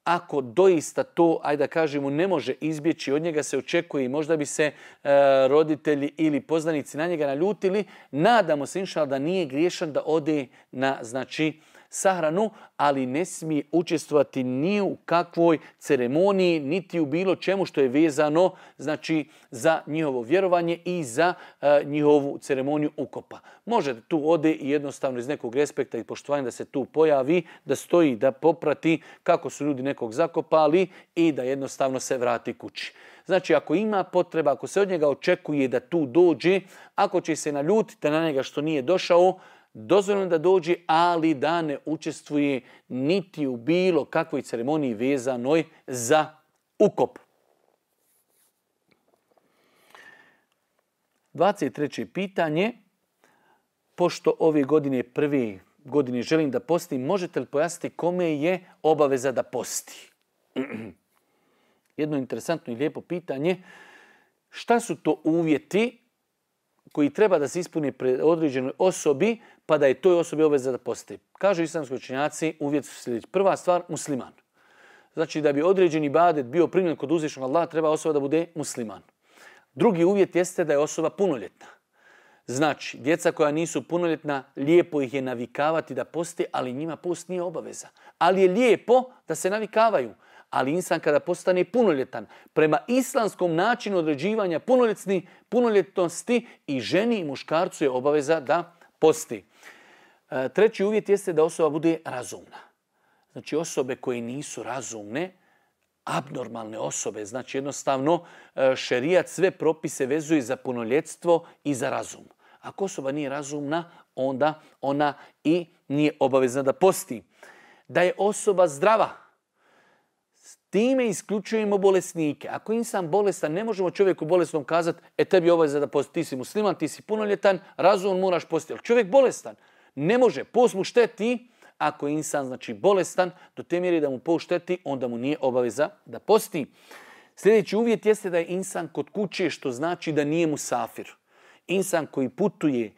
Speaker 1: ako doista to, ajde da kažemo, ne može izbjeći, od njega se očekuje i možda bi se roditelji ili poznanici na njega naljutili, nadamo se inšallah da nije griješan da ode na sahranu, ali ne smije učestvovati ni u kakvoj ceremoniji, niti u bilo čemu što je vezano za njihovo vjerovanje i za njihovu ceremoniju ukopa. Može da tu ode i jednostavno iz nekog respekta i poštovanja da se tu pojavi, da stoji, da poprati kako su ljudi nekog zakopali i da jednostavno se vrati kući. Znači, ako ima potreba, ako se od njega očekuje da tu dođe, ako će se naljutiti na njega što nije došao, dozvoljeno da dođe, ali da ne učestvuje niti u bilo kakvoj ceremoniji vezanoj za ukop. 23. pitanje. Pošto ove godine, prve godine želim da postim, možete li pojasniti kome je obaveza da posti? Jedno interesantno i lijepo pitanje. Šta su to uvjeti koji treba da se ispuni pred određenoj osobi, pa da je toj osobi obaveza da posti? Kažu islamski učenjaci, uvjet su sljedeći. Prva stvar, musliman. Znači, da bi određeni ibadet bio primljen kod uzvišenog Allaha, treba osoba da bude musliman. Drugi uvjet jeste da je osoba punoljetna. Znači, djeca koja nisu punoljetna, lijepo ih je navikavati da poste, ali njima post nije obaveza. Ali je lijepo da se navikavaju. Ali insan kada postane punoljetan, prema islamskom načinu određivanja punoljetnosti i ženi i muškarcu je obaveza da posti. Treći uvjet jeste da osoba bude razumna. Znači, osobe koje nisu razumne, abnormalne osobe, znači jednostavno šerijat sve propise vezuje za punoljetstvo i za razum. Ako osoba nije razumna, onda ona i nije obavezna da posti. Da je osoba zdrava, time isključujemo bolesnike. Ako je insan bolestan, ne možemo čovjeku bolesnom kazati, tebi je obaveza da posti, ti si musliman, ti si punoljetan, razum moraš postiti. Ali čovjek bolestan ne može, post mu šteti. Ako je insan bolestan, do te mjere da mu post šteti, onda mu nije obaveza da posti. Sljedeći uvjet jeste da je insan kod kuće, što znači da nije musafir. Insan koji putuje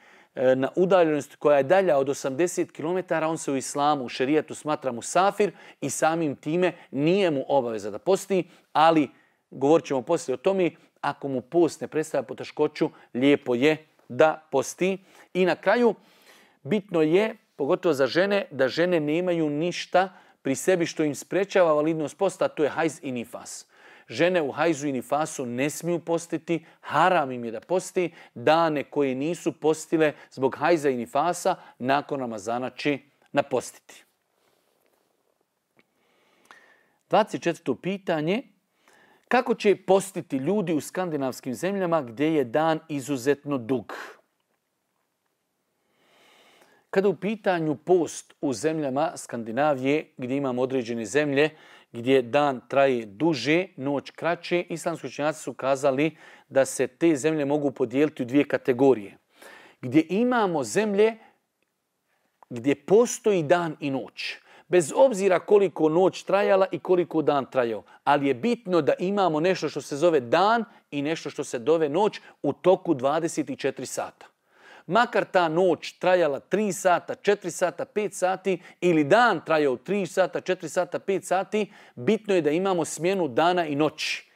Speaker 1: na udaljenost koja je dalja od 80 km, on se u islamu, u šerijatu smatra musafir i samim time nije mu obaveza da posti, ali govorit ćemo poslije o tome, ako mu post ne predstavlja poteškoću, lijepo je da posti. I na kraju, bitno je, pogotovo za žene, da žene nemaju ništa pri sebi što im sprečava validnost posta, to je hajz i nifas. Žene u hajzu i nifasu ne smiju postiti, haram im je da posti, dane koje nisu postile zbog hajza i nifasa, nakon Ramazana će napostiti. 24. pitanje. Kako će postiti ljudi u skandinavskim zemljama gdje je dan izuzetno dug? Kada u pitanju post u zemljama Skandinavije, gdje imamo određene zemlje, gdje dan traje duže, noć kraće, islamski učenjaci su kazali da se te zemlje mogu podijeliti u dvije kategorije. Gdje imamo zemlje gdje postoji dan i noć. Bez obzira koliko noć trajala i koliko dan trajao. Ali je bitno da imamo nešto što se zove dan i nešto što se zove noć u toku 24 sata. Makar ta noć trajala 3 sata, 4 sata, 5 sati ili dan trajao 3 sata, 4 sata, 5 sati, bitno je da imamo smjenu dana i noći.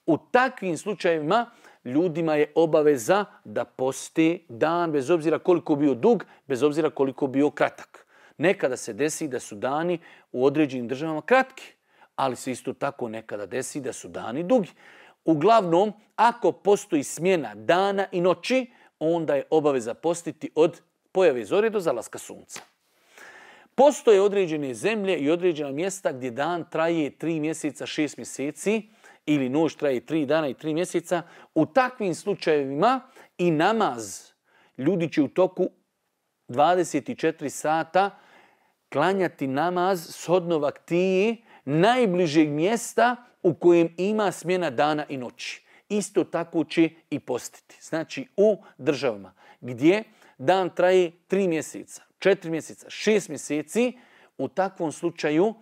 Speaker 1: U takvim slučajevima ljudima je obaveza da posti dan bez obzira koliko bio dug, bez obzira koliko bio kratak. Nekada se desi da su dani u određenim državama kratki, ali se isto tako nekada desi da su dani dugi. Uglavnom, ako postoji smjena dana i noći, onda je obaveza postiti od pojave zore do zalaska sunca. Postoje određene zemlje i određena mjesta gdje dan traje 3 mjeseca, 6 mjeseci ili noć traje 3 dana i 3 mjeseca. U takvim slučajevima i namaz ljudi će u toku 24 sata klanjati namaz shodno vaktiji najbližeg mjesta u kojem ima smjena dana i noći. Isto tako će i postiti. Znači u državama gdje dan traje 3 mjeseca, 4 mjeseca, 6 mjeseci, u takvom slučaju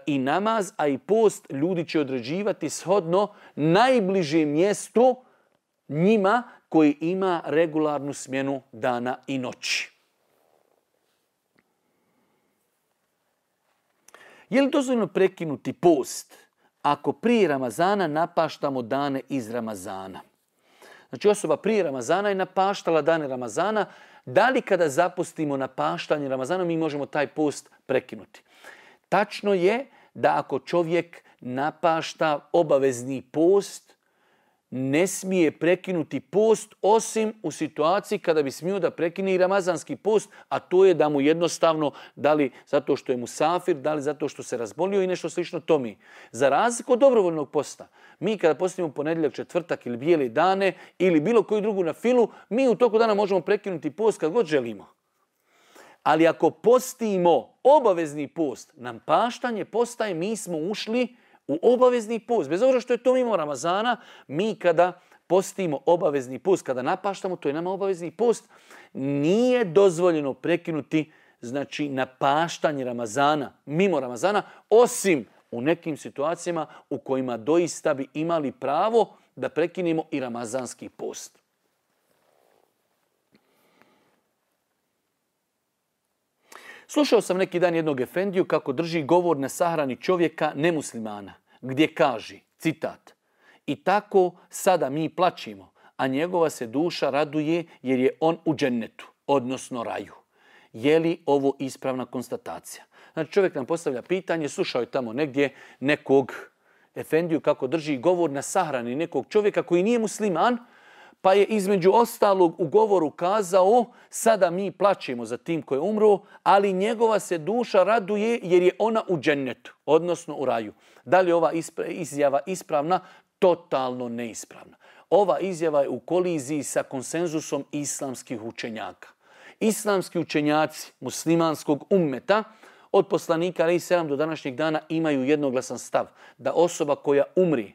Speaker 1: i namaz, a i post ljudi će određivati shodno najbližem mjestu njima koji ima regularnu smjenu dana i noći. Je li dozvoljeno prekinuti post ako prije Ramazana napaštamo dane iz Ramazana? Znači osoba prije Ramazana je napaštala dane Ramazana, da li kada zapustimo napaštanje Ramazana mi možemo taj post prekinuti? Tačno je da ako čovjek napašta obavezni post, ne smije prekinuti post osim u situaciji kada bi smio da prekine i ramazanski post, a to je da mu jednostavno, da li zato što je musafir, da li zato što se razbolio i nešto slično tome. Za razliku od dobrovoljnog posta, mi kada postimo ponedjeljak, četvrtak ili bijele dane ili bilo koju drugu na filu, mi u toku dana možemo prekinuti post kad god želimo. Ali ako postimo obavezni post, nam paštanje postaje, mi smo ušli u obavezni post. Bez obzira što je to mimo Ramazana, mi kada postimo obavezni post, kada napaštamo, to je nama obavezni post, nije dozvoljeno prekinuti znači napaštanje Ramazana, mimo Ramazana, osim u nekim situacijama u kojima doista bi imali pravo da prekinemo i ramazanski post. Slušao sam neki dan jednog efendiju kako drži govor na sahrani čovjeka nemuslimana, gdje kaže, citat, i tako sada mi plačimo, a njegova se duša raduje jer je on u džennetu, odnosno raju. Je li ovo ispravna konstatacija? Znači čovjek nam postavlja pitanje, slušao je tamo negdje nekog efendiju kako drži govor na sahrani nekog čovjeka koji nije musliman, pa je između ostalog u govoru kazao, sada mi plačemo za tim koji je umro, ali njegova se duša raduje jer je ona u džennetu, odnosno u raju. Da li je ova izjava ispravna? Totalno neispravna. Ova izjava je u koliziji sa konsenzusom islamskih učenjaka. Islamski učenjaci muslimanskog ummeta od poslanika alejhi selam do današnjeg dana imaju jednoglasan stav da osoba koja umri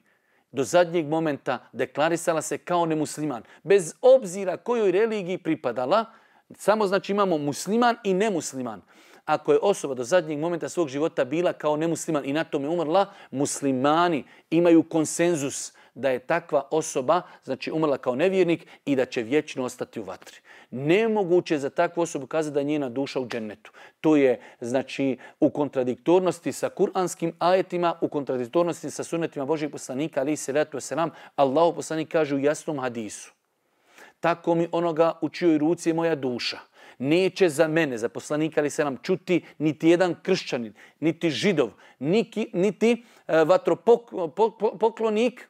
Speaker 1: do zadnjeg momenta deklarisala se kao nemusliman, bez obzira kojoj religiji pripadala, samo znači imamo musliman i nemusliman. Ako je osoba do zadnjeg momenta svog života bila kao nemusliman i na tome umrla, muslimani imaju konsenzus da je takva osoba znači umrla kao nevjernik i da će vječno ostati u vatri. Nemoguće je za takvu osobu kazati da je njena duša u džennetu. To je znači u kontradiktornosti sa kuranskim ajetima, u kontradiktornosti sa sunnetima Božjeg poslanika alejhi selatu vesselam. Allahov poslanik kaže u jasnom hadisu: tako mi onoga u čijoj ruci je moja duša. neće za mene, za poslanika ali se nam čuti niti jedan kršćanin, niti židov, niti vatropoklonik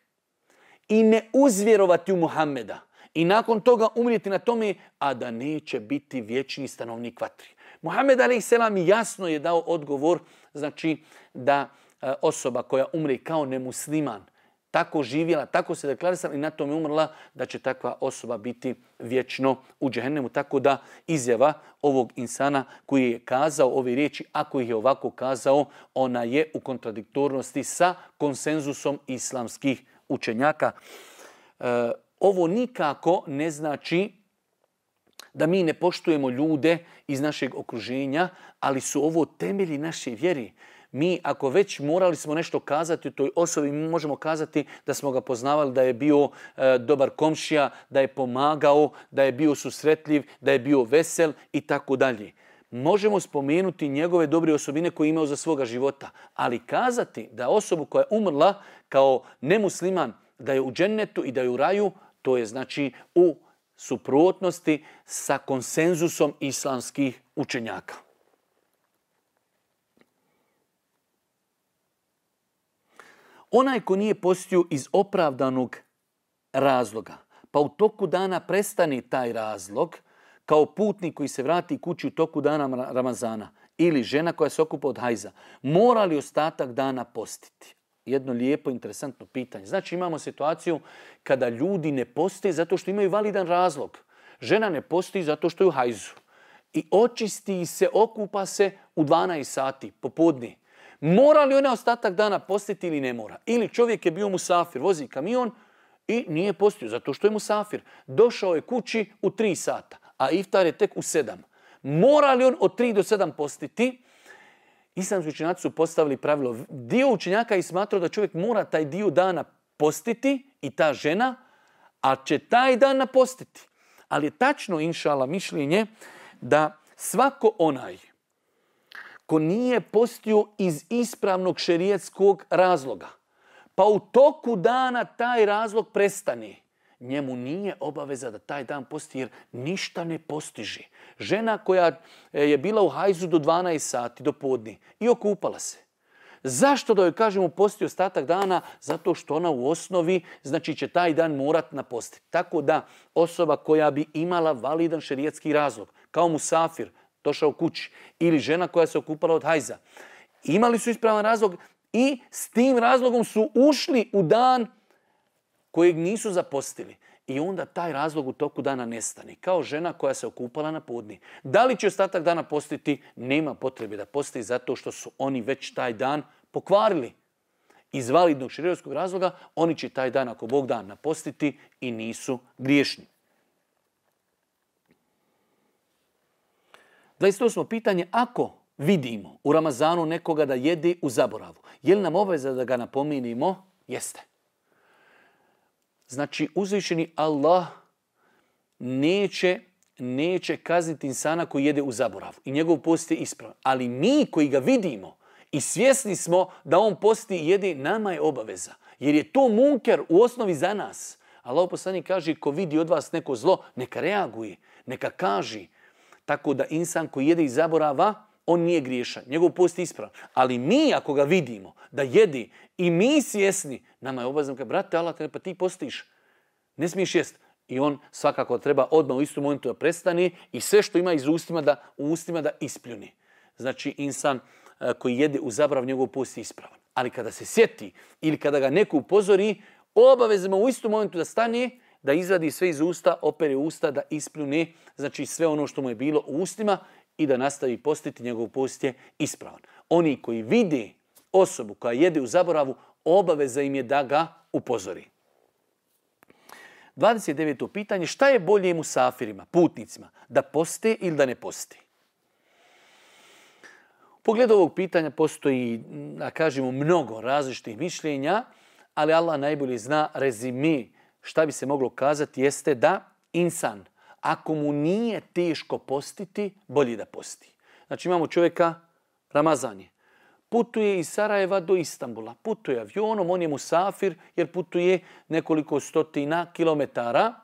Speaker 1: i ne uzvjerovati u Muhammeda. I nakon toga umrijeti na tome, a da neće biti vječni stanovnik vatri. Muhammed a.s. jasno je dao odgovor, znači da osoba koja umre kao nemusliman, tako živjela, tako se deklarisala i na tome umrla, da će takva osoba biti vječno u džehennemu. Tako da izjava ovog insana koji je kazao ove riječi, ako ih je ovako kazao, ona je u kontradiktornosti sa konsenzusom islamskih učenjaka. Ovo nikako ne znači da mi ne poštujemo ljude iz našeg okruženja, ali su ovo temelji naše vjeri. Mi ako već morali smo nešto kazati o toj osobi, mi možemo kazati da smo ga poznavali, da je bio dobar komšija, da je pomagao, da je bio susretljiv, da je bio vesel i tako dalje. Možemo spomenuti njegove dobre osobine koje je imao za svoga života, ali kazati da osobu koja je umrla kao nemusliman, da je u džennetu i da je u raju, to je znači u suprotnosti sa konsenzusom islamskih učenjaka. Onaj ko nije postio iz opravdanog razloga, pa u toku dana prestane taj razlog, kao putnik koji se vrati kući u toku dana Ramazana ili žena koja se okupa od hajza, mora li ostatak dana postiti? Jedno lijepo, interesantno pitanje. Znači imamo situaciju kada ljudi ne poste zato što imaju validan razlog. Žena ne posti zato što je u hajzu. I očisti se, okupa se u 12 sati popodne. Mora li ona ostatak dana postiti ili ne mora? Ili čovjek je bio musafir, vozi kamion i nije postio zato što je musafir. Došao je kući u 3 sata, a iftar je tek u 7. Mora li on od 3 do 7 postiti? Islamski učenjaci su postavili pravilo. Dio učenjaka je smatrao da čovjek mora taj dio dana postiti i ta žena, a će taj dan napostiti. Ali je tačno, inšala, mišljenje da svako onaj ko nije postio iz ispravnog šerijetskog razloga, pa u toku dana taj razlog prestane, njemu nije obaveza da taj dan posti jer ništa ne postiže. Žena koja je bila u hajzu do 12 sati, do podne i okupala se. Zašto da joj kažemo posti ostatak dana? Zato što ona u osnovi, znači će taj dan morat napostiti. Tako da osoba koja bi imala validan šerijetski razlog, kao musafir, došao kući, ili žena koja se okupala od hajza, imali su ispravan razlog i s tim razlogom su ušli u dan kojeg nisu zapostili. I onda taj razlog u toku dana nestane. Kao žena koja se okupala na podni. Da li će ostatak dana postiti? Nema potrebe da posti zato što su oni već taj dan pokvarili. Iz validnog šerijatskog razloga oni će taj dan, ako Bog da, napostiti i nisu griješni. 28. pitanje, ako vidimo u Ramazanu nekoga da jede u zaboravu, je li nam obaveza da ga napominimo? Jeste. Znači, uzvišeni Allah neće kazniti insana koji jede u zaboravu i njegov post je ispravan. Ali mi koji ga vidimo i svjesni smo da on posti i jede, nama je obaveza. Jer je to munker u osnovi za nas. Allah poslanik kaže, ko vidi od vas neko zlo, neka reaguje, neka kaže. Tako da insan koji jede iz zaborava, on nije griješan. Njegov post je ispravan. Ali mi ako ga vidimo da jede i mi svjesni, nama je obavezno kaže, brate, Allah, pa ti postiš. Ne smiješ jest. I on svakako treba odmah u istom momentu da prestane i sve što ima u ustima da ispljuni. Znači insan koji jede u zaborav, njegov post je ispravan. Ali kada se sjeti ili kada ga neko upozori, obavezno u istom momentu da stane, da izvadi sve iz usta, opere usta, da ispljune, znači sve ono što mu je bilo u ustima i da nastavi postiti, njegov post je ispravan. Oni koji vide osobu koja jede u zaboravu, obaveza im je da ga upozori. 29. pitanje, šta je bolje musafirima, putnicima, da poste ili da ne poste? U pogledu ovog pitanja postoji, da kažemo, mnogo različitih mišljenja, ali Allah najbolje zna. Rezime šta bi se moglo kazati jeste da insan, ako mu nije teško postiti, bolje da posti. Znači imamo čovjeka, Ramazan je, putuje iz Sarajeva do Istanbula, putuje avionom, on je musafir jer putuje nekoliko stotina kilometara,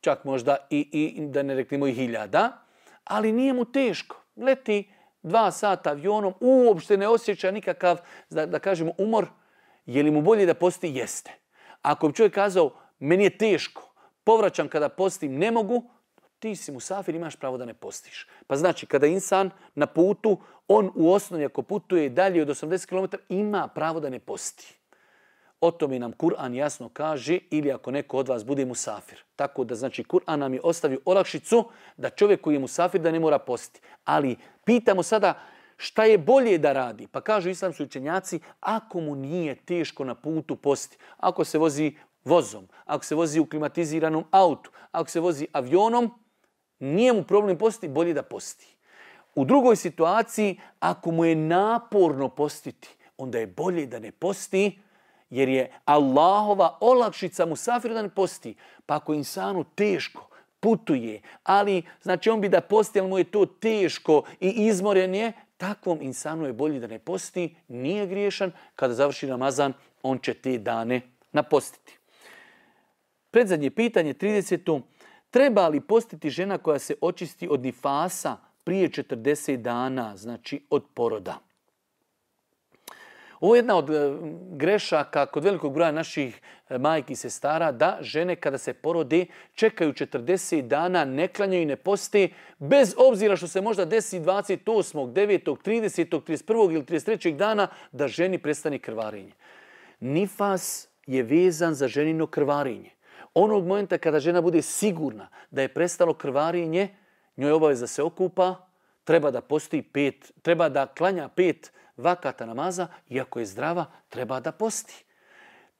Speaker 1: čak možda i da ne reknemo i hiljada, ali nije mu teško. Leti 2 sata avionom, uopšte ne osjeća nikakav, da kažemo, umor. Je li mu bolje da posti? Jeste. Ako bi čovjek kazao, meni je teško, povraćam kada postim, ne mogu, ti si musafir, imaš pravo da ne postiš. Pa znači, kada insan na putu, on u osnovi ako putuje dalje od 80 km, ima pravo da ne posti. O tome nam Kur'an jasno kaže, ili ako neko od vas bude musafir. Tako da znači Kur'an nam je ostavio olakšicu da čovjek koji je musafir da ne mora postiti. Ali pitamo sada šta je bolje da radi. Pa kažu islamski učenjaci, ako mu nije teško na putu postiti, ako se vozi vozom, ako se vozi u klimatiziranom autu, ako se vozi avionom, nije mu problem postiti, bolje da posti. U drugoj situaciji, ako mu je naporno postiti, onda je bolje da ne posti, jer je Allahova olakšica musafiru da ne posti. Pa ako insanu teško putuje, ali znači on bi da posti, ali mu je to teško i izmoren je, takvom insanu je bolje da ne posti, nije griješan. Kada završi Ramazan, on će te dane napostiti. Predzadnje pitanje, 30. Treba li postiti žena koja se očisti od nifasa prije 40 dana, znači od poroda? Ovo je jedna od grešaka kod velikog broja naših majki i sestara, da žene kada se porode čekaju 40 dana, ne klanjaju i ne poste, bez obzira što se možda desi 28., 9., 30., 31. ili 33. dana da ženi prestane krvarenje. Nifas je vezan za ženino krvarenje. Onog momenta kada žena bude sigurna da je prestalo krvarenje, njoj je obaveza da se okupa, treba da posti 5, treba da klanja 5 vakata namaza, iako je zdrava, treba da posti.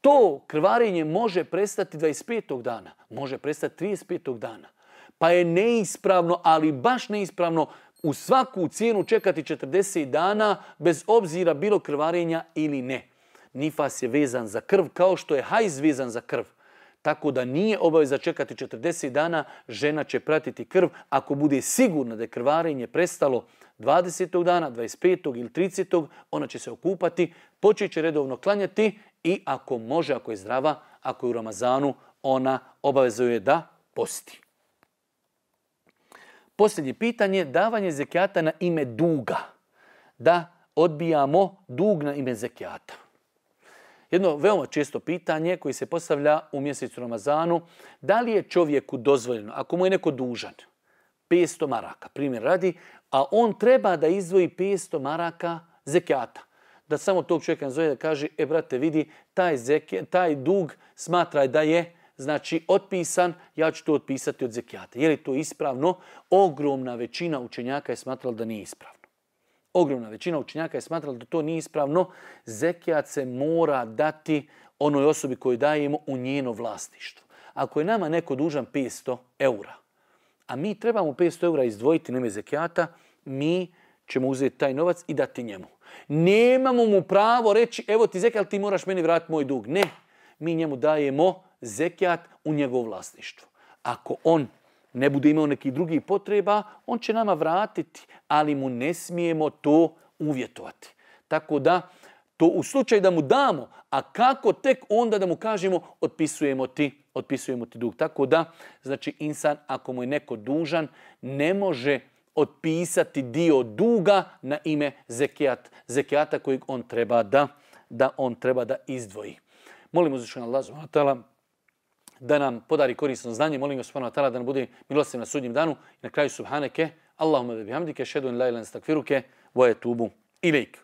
Speaker 1: To krvarenje može prestati 25. dana, može prestati 35. dana. Pa je neispravno, ali baš neispravno, u svaku cijenu čekati 40 dana, bez obzira bilo krvarenja ili ne. Nifas je vezan za krv, kao što je hajz vezan za krv. Tako da nije obaveza čekati 40 dana, žena će pratiti krv. Ako bude sigurna da je krvarenje prestalo 20. dana, 25. ili 30. ona će se okupati, počet će redovno klanjati i ako može, ako je zdrava, ako je u Ramazanu, ona obavezuje da posti. Posljednje pitanje, davanje zekijata na ime duga. Da odbijamo dug na ime zekijata. Jedno veoma često pitanje koje se postavlja u mjesecu Ramazanu, da li je čovjeku dozvoljeno, ako mu je neko dužan, 500 maraka, primjer radi, a on treba da izdvoji 500 maraka zekijata. Da samo tog čovjeka nazove da kaže, brate, vidi, taj dug smatraj da je znači otpisan, ja ću to otpisati od zekijata. Je li to ispravno? Ogromna većina učenjaka je smatrala da nije ispravno. Ogromna većina učenjaka je smatrala da to nije ispravno. Zekijat se mora dati onoj osobi koju dajemo u njeno vlasništvo. Ako je nama neko dužan 500 eura, a mi trebamo 500 eura izdvojiti na ime zekijata, mi ćemo uzeti taj novac i dati njemu. Nemamo mu pravo reći, evo ti zekijat, ti moraš meni vratiti moj dug. Ne, mi njemu dajemo zekijat u njegovo vlasništvo. Ako on ne bude imao nekih drugih potreba, on će nama vratiti, ali mu ne smijemo to uvjetovati. Tako to u slučaju da mu damo, a kako tek onda da mu kažemo otpisujemo ti dug. Tako da, znači insan, ako mu je neko dužan, ne može otpisati dio duga na ime zekijata kojeg on treba da izdvoji. Molimo uzvišenog Allaha subhanahu wa ta'ala da nam podari korisno znanje. Molim ga subhanahu wa ta'ala da nam bude milostiv na sudnjem danu. I na kraju subhaneke, Allahumma ve bihamdike, ashhadu an la ilaha illa anta astaghfiruke wa atubu ilejk.